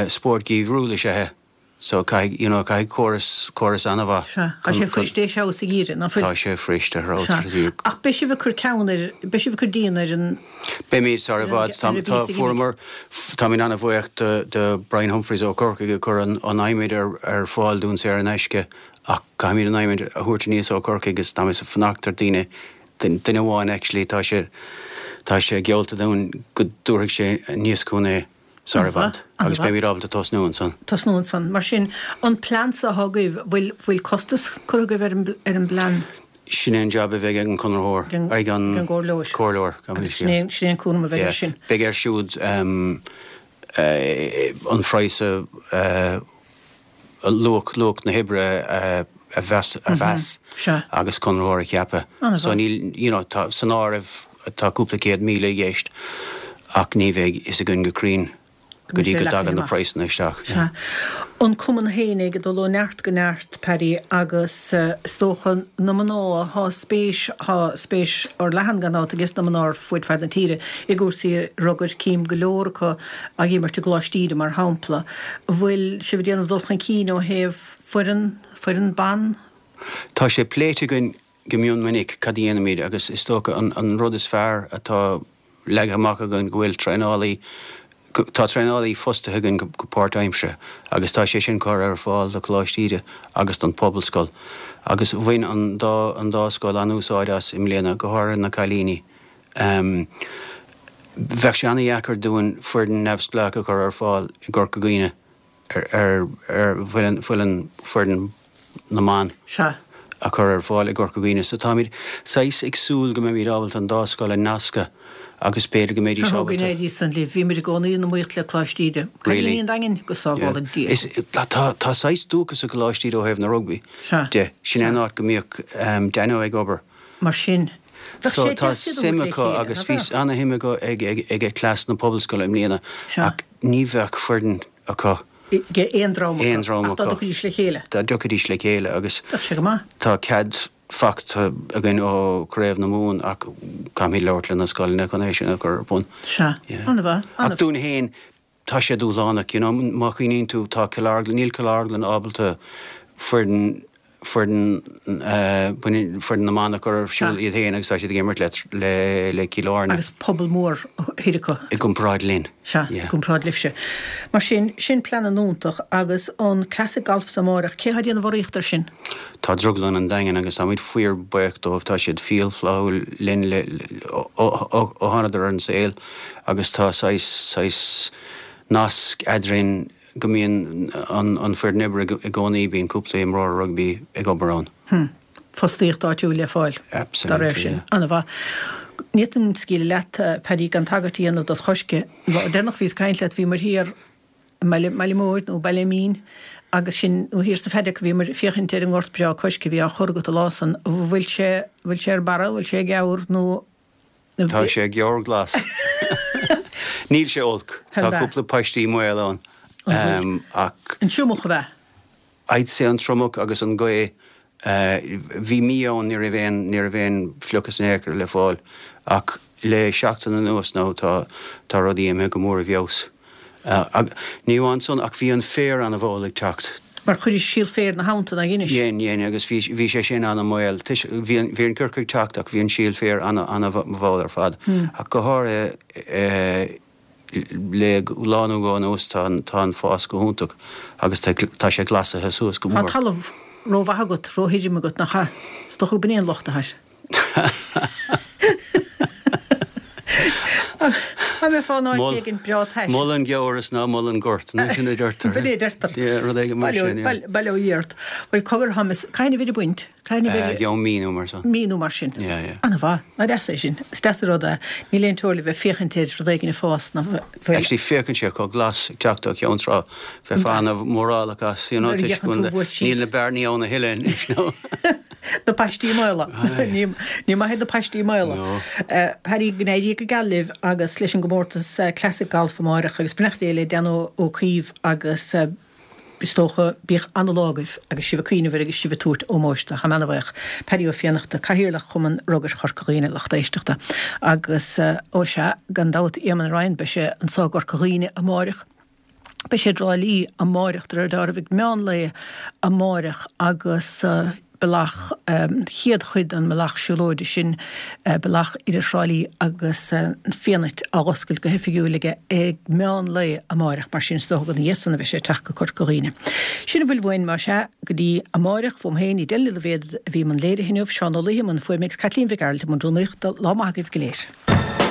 Speaker 2: Spórt geimhriúil is ea é so caithfidh, you know, caithfidh córas, córas an-mhaith.
Speaker 1: Sea. Tá sé fuirist é thall sa gheimhreadh, ná fuil?
Speaker 2: Tá sé fuirist a
Speaker 1: thall sa gheimhreadh. Ach beidh sibh ag cur ceann ar, beidh sibh ag cur díon ar an.
Speaker 2: Beimid, sar i bhfad. Tá, tá, fuaireamar, táimid an-bhuíoch do, do Brian Humphreys ó Chorcaigh ag cur an, an adhmaid ar, ar fáil dúinn saor in aisce ach caithfimid an adhmaid a thabhairt aníos ó Chorcaigh agus táimid ag fanacht ar daoine, duine amháin actually, tá sé, tá sé geallta dúinn go dtabharfaidh sé aníos chugainn é. Sar i bhfad. Agus beimid ábalta tosnú ansan.
Speaker 1: Tosnú ansan. Mar sin, an plean so atá agaibh, bhfuil, bhfuil costas curtha agaibh ar an, ar an bplean?
Speaker 2: Sin é an jab a bheidh ag an conraitheoir, ag an.
Speaker 1: Ag an gcomhairleoir.
Speaker 2: Comhairleoir,
Speaker 1: Agus sin é, sin é an cúram a bheidh air sin.
Speaker 2: Beidh air siúd an phraghas a. luach, luach na hoibre a mheas, a mheas agus conraitheoir a cheapadh. So níl, you know, tá, san áireamh tá cúpla 100,000 i gceist ach ní bheidh fhios againn go cruinn go dtí go dtagann na praghsanna isteach.
Speaker 1: Sea. An cumann fhéinig ag dul ó neart go neart, Paddy, agus is dócha na mná, thá spéis, thá spéis fhorleathan gan dabht ages na mná ar fuaid fad na tíre i gcúrsaí rugair, cím go leor acu ag imirt i gColáiste Íde mar shampla. Bhfuil sibh ag déanamh dul chun cinn ó thaobh foireann, foireann ban?
Speaker 2: Tá sé pléite againn go mion minic cad a dhéanfaimid agus is dócha an rud is fearr atá. leagtha amach againn go bhfuil traenálaí, tá traenálaí fostaithe againn go páirtaimseartha agus tá sé sin curtha ar fáil do Choláiste Íde agus don Phobalscoil agus bhain an dá an dá scoil an-úsáid as i mbliana, go háirithe na cailíní. Bheadh sé an-dheacair dúinn foireann neamhspleách a chur ar fáil i gCorca Dhuibhne. ar foireann, foireann na mban a chur ar fáil i gCorca Dhuibhne. So táimid saghas ag súil go mbeimid ábalta an dá scoil a nascadh agus b'fhéidir go mbeidís
Speaker 1: ábalta. Go n-éirí san libh. Bhíomar i gcónaí in iomaíocht le Coláiste Íde. Cailíní an Daingin, go sábhála Dia
Speaker 2: sinn. Tá saghas dúchas i gColáiste Íde ó thaobh na rugbaí de. Sin é an áit go mbíodh Danno ag obair.
Speaker 1: Mar sin,
Speaker 2: bheadh sé deas iad a thabhairt le chéile, nach beadh? Tá suim acu agus bhí ana-shuim acu ag cleas na Pobalscoile i mbliana ach ní bheadh foireann acu.
Speaker 1: Aon dream acu. Aon dream acu. Ach dá dtiocfaidís le chéile.
Speaker 2: Dá dtiocfaidís le chéile agus.
Speaker 1: Bheadh sé go maith.
Speaker 2: Tá cead faighte againn ó Chraobh na Mumhan ach caithfimid labhairt le na scoileanna chun é sin a chur ar bun.
Speaker 1: Sea. An-mhaith.
Speaker 2: Ach dúinn féin, tá sé dúshlánach, you know, má chuimhníonn tú, tá Cill Orglan, níl Cill Orglan ábalta foireann foireann foireann na mban a chur ar siúl iad féin agus tá siad ag imirt le le Cill Airne.
Speaker 1: Agus pobal mór thoir acu.
Speaker 2: I gcomparáid linn.
Speaker 1: Sea, i gcomparáid libhse. Mar sin, sin plean an-iontach agus an Classic Golf sa amárach, cé atá ag déanamh urraíocht air sin?
Speaker 2: Tá Drioglann an Daingin agus táimid fíor buíoch dóibh, tá siad fial flaithiúil linn le ó thánadar ar an saol agus tá saghas saghas nasc eadrainn go mbíonn an foireann oibre i gcónaí, bíonn cúpla imreoir rugbaí ag obair ann.
Speaker 1: Hm. Fostaíocht áitiúil le fáil dá réir sin. An-mhaith. Ní fhéadfainn scaoileadh leat, Paddy, gan tagairt a dhéanamh dod choisce. An lá deireanach a bhíos ag caint leat, bhíomair thiar i mBaile, mBaile Móir nó Baile Mín agus sin, nó thiar sa Phadock, bhíomair ag féachaint ar an ngort breá coisce a bhí á chur agat an lá san. Bhfuil sé, bhfuil sé ar barra, bhfuil sé ag geamhar nó.
Speaker 2: Tá sé geamhar glas. Níl sé olc. Tá cúpla paistí maol
Speaker 1: ann. Ach. An triomach ab ea?
Speaker 2: I'd say an triomach agus an ghaoth. Bhí mí ann ní raibh aon, ní raibh aon fliuchas in aon chor le fáil. Ach le seachtain anuas now tá, tá rudaí imithe go mór i bhfeabhas. Ní amháin san ach bhí an féar ana-mhall ag teacht.
Speaker 1: Mar chuiris síol féir ina theannta, nár dheinis?
Speaker 2: Dhein, dhein, agus bhí, bhí sé sin ana-mhall. Bhí an, bhí an coirce ag teacht ach bhí an síol féir ana, ana-mhall ar fad. Ach go háirithe le lá nó dhó anuas tá an, tá an fás go hiontach agus tá, tá sé glasaithe suas go
Speaker 1: mór. Tá talamh rómhaith agat, róthirim agat, nach ea? Is dócha gurb in é an locht atá air. Dá mbeifeá in áit éigin breá tais.
Speaker 2: Mol an geamhar is ná mol an gort, nó sin a deirtear.
Speaker 1: B'in é a deirtear.
Speaker 2: Yeah, rud éigin mar sin,
Speaker 1: yeah. Bail ó Dhia ort. Bhuel, cogar, Thomas, cathain a bheir ag baint?
Speaker 2: Cathain a bheir? Gheobhaidh mí nó mar
Speaker 1: sin. Mí nó mar sin.
Speaker 2: Yeah, yeah.
Speaker 1: Ana-mhaith. Nach deas é sin. Is deas an rud é. Níl aon teora le bheith ag féachaint ar rud éigin ag fás ná
Speaker 2: bhfuil. Actually féachann sé chomh glas ag teacht ó Cheann Trá. Bheifeá ana-mhórálach as, you know, toisc go bhfuil níl na bearnaí ann a thuilleadh anois, no.
Speaker 1: Na paistí maola. Ní maith iad na paistí maola. Paddy, go n-éirí go geal libh agus leis an gcomórtas Classic Golf amáireach agus beannacht Dé le Danno Ó Caoimh agus is dócha bíodh ana-lá agaibh agus sibh ag cuimhneamh air agus sibh ag tabhairt ómóis dó. Táim ana-bhuíoch. Paddy Ó Fiannachta, Cathaoirleach Chumann Rugair Chorca Dhuibhne, lucht éisteachta. Agus, ó sea, gan dabht Éamonn Ryan, beidh sé anso i gCorca Dhuibhne amáireach. Beidh sé i dTrá Lí amáireach de réir dealraimh ag meán lae amáireach agus bealach, chéad chuid den mbealach siúlóide sin, bealach idir Thrá Lí agus an Fianait á oscailt go hoifigiúil aige ag meán lae amáireach, mar sin is dócha gur ina dhiaidh san a bheidh sé ag teacht go Corca Dhuibhne. Sin a bhfuil uainn, más ea, go dtí amáireach, uaim féin, Edel Ní Loibhéad a bhí i mbun léirithe inniu, Seán Ó Laoithe i mbun fuaime agus Caitlín Mhic Gearailt i mbun rúnaíochta. Lá maith agaibh go léir.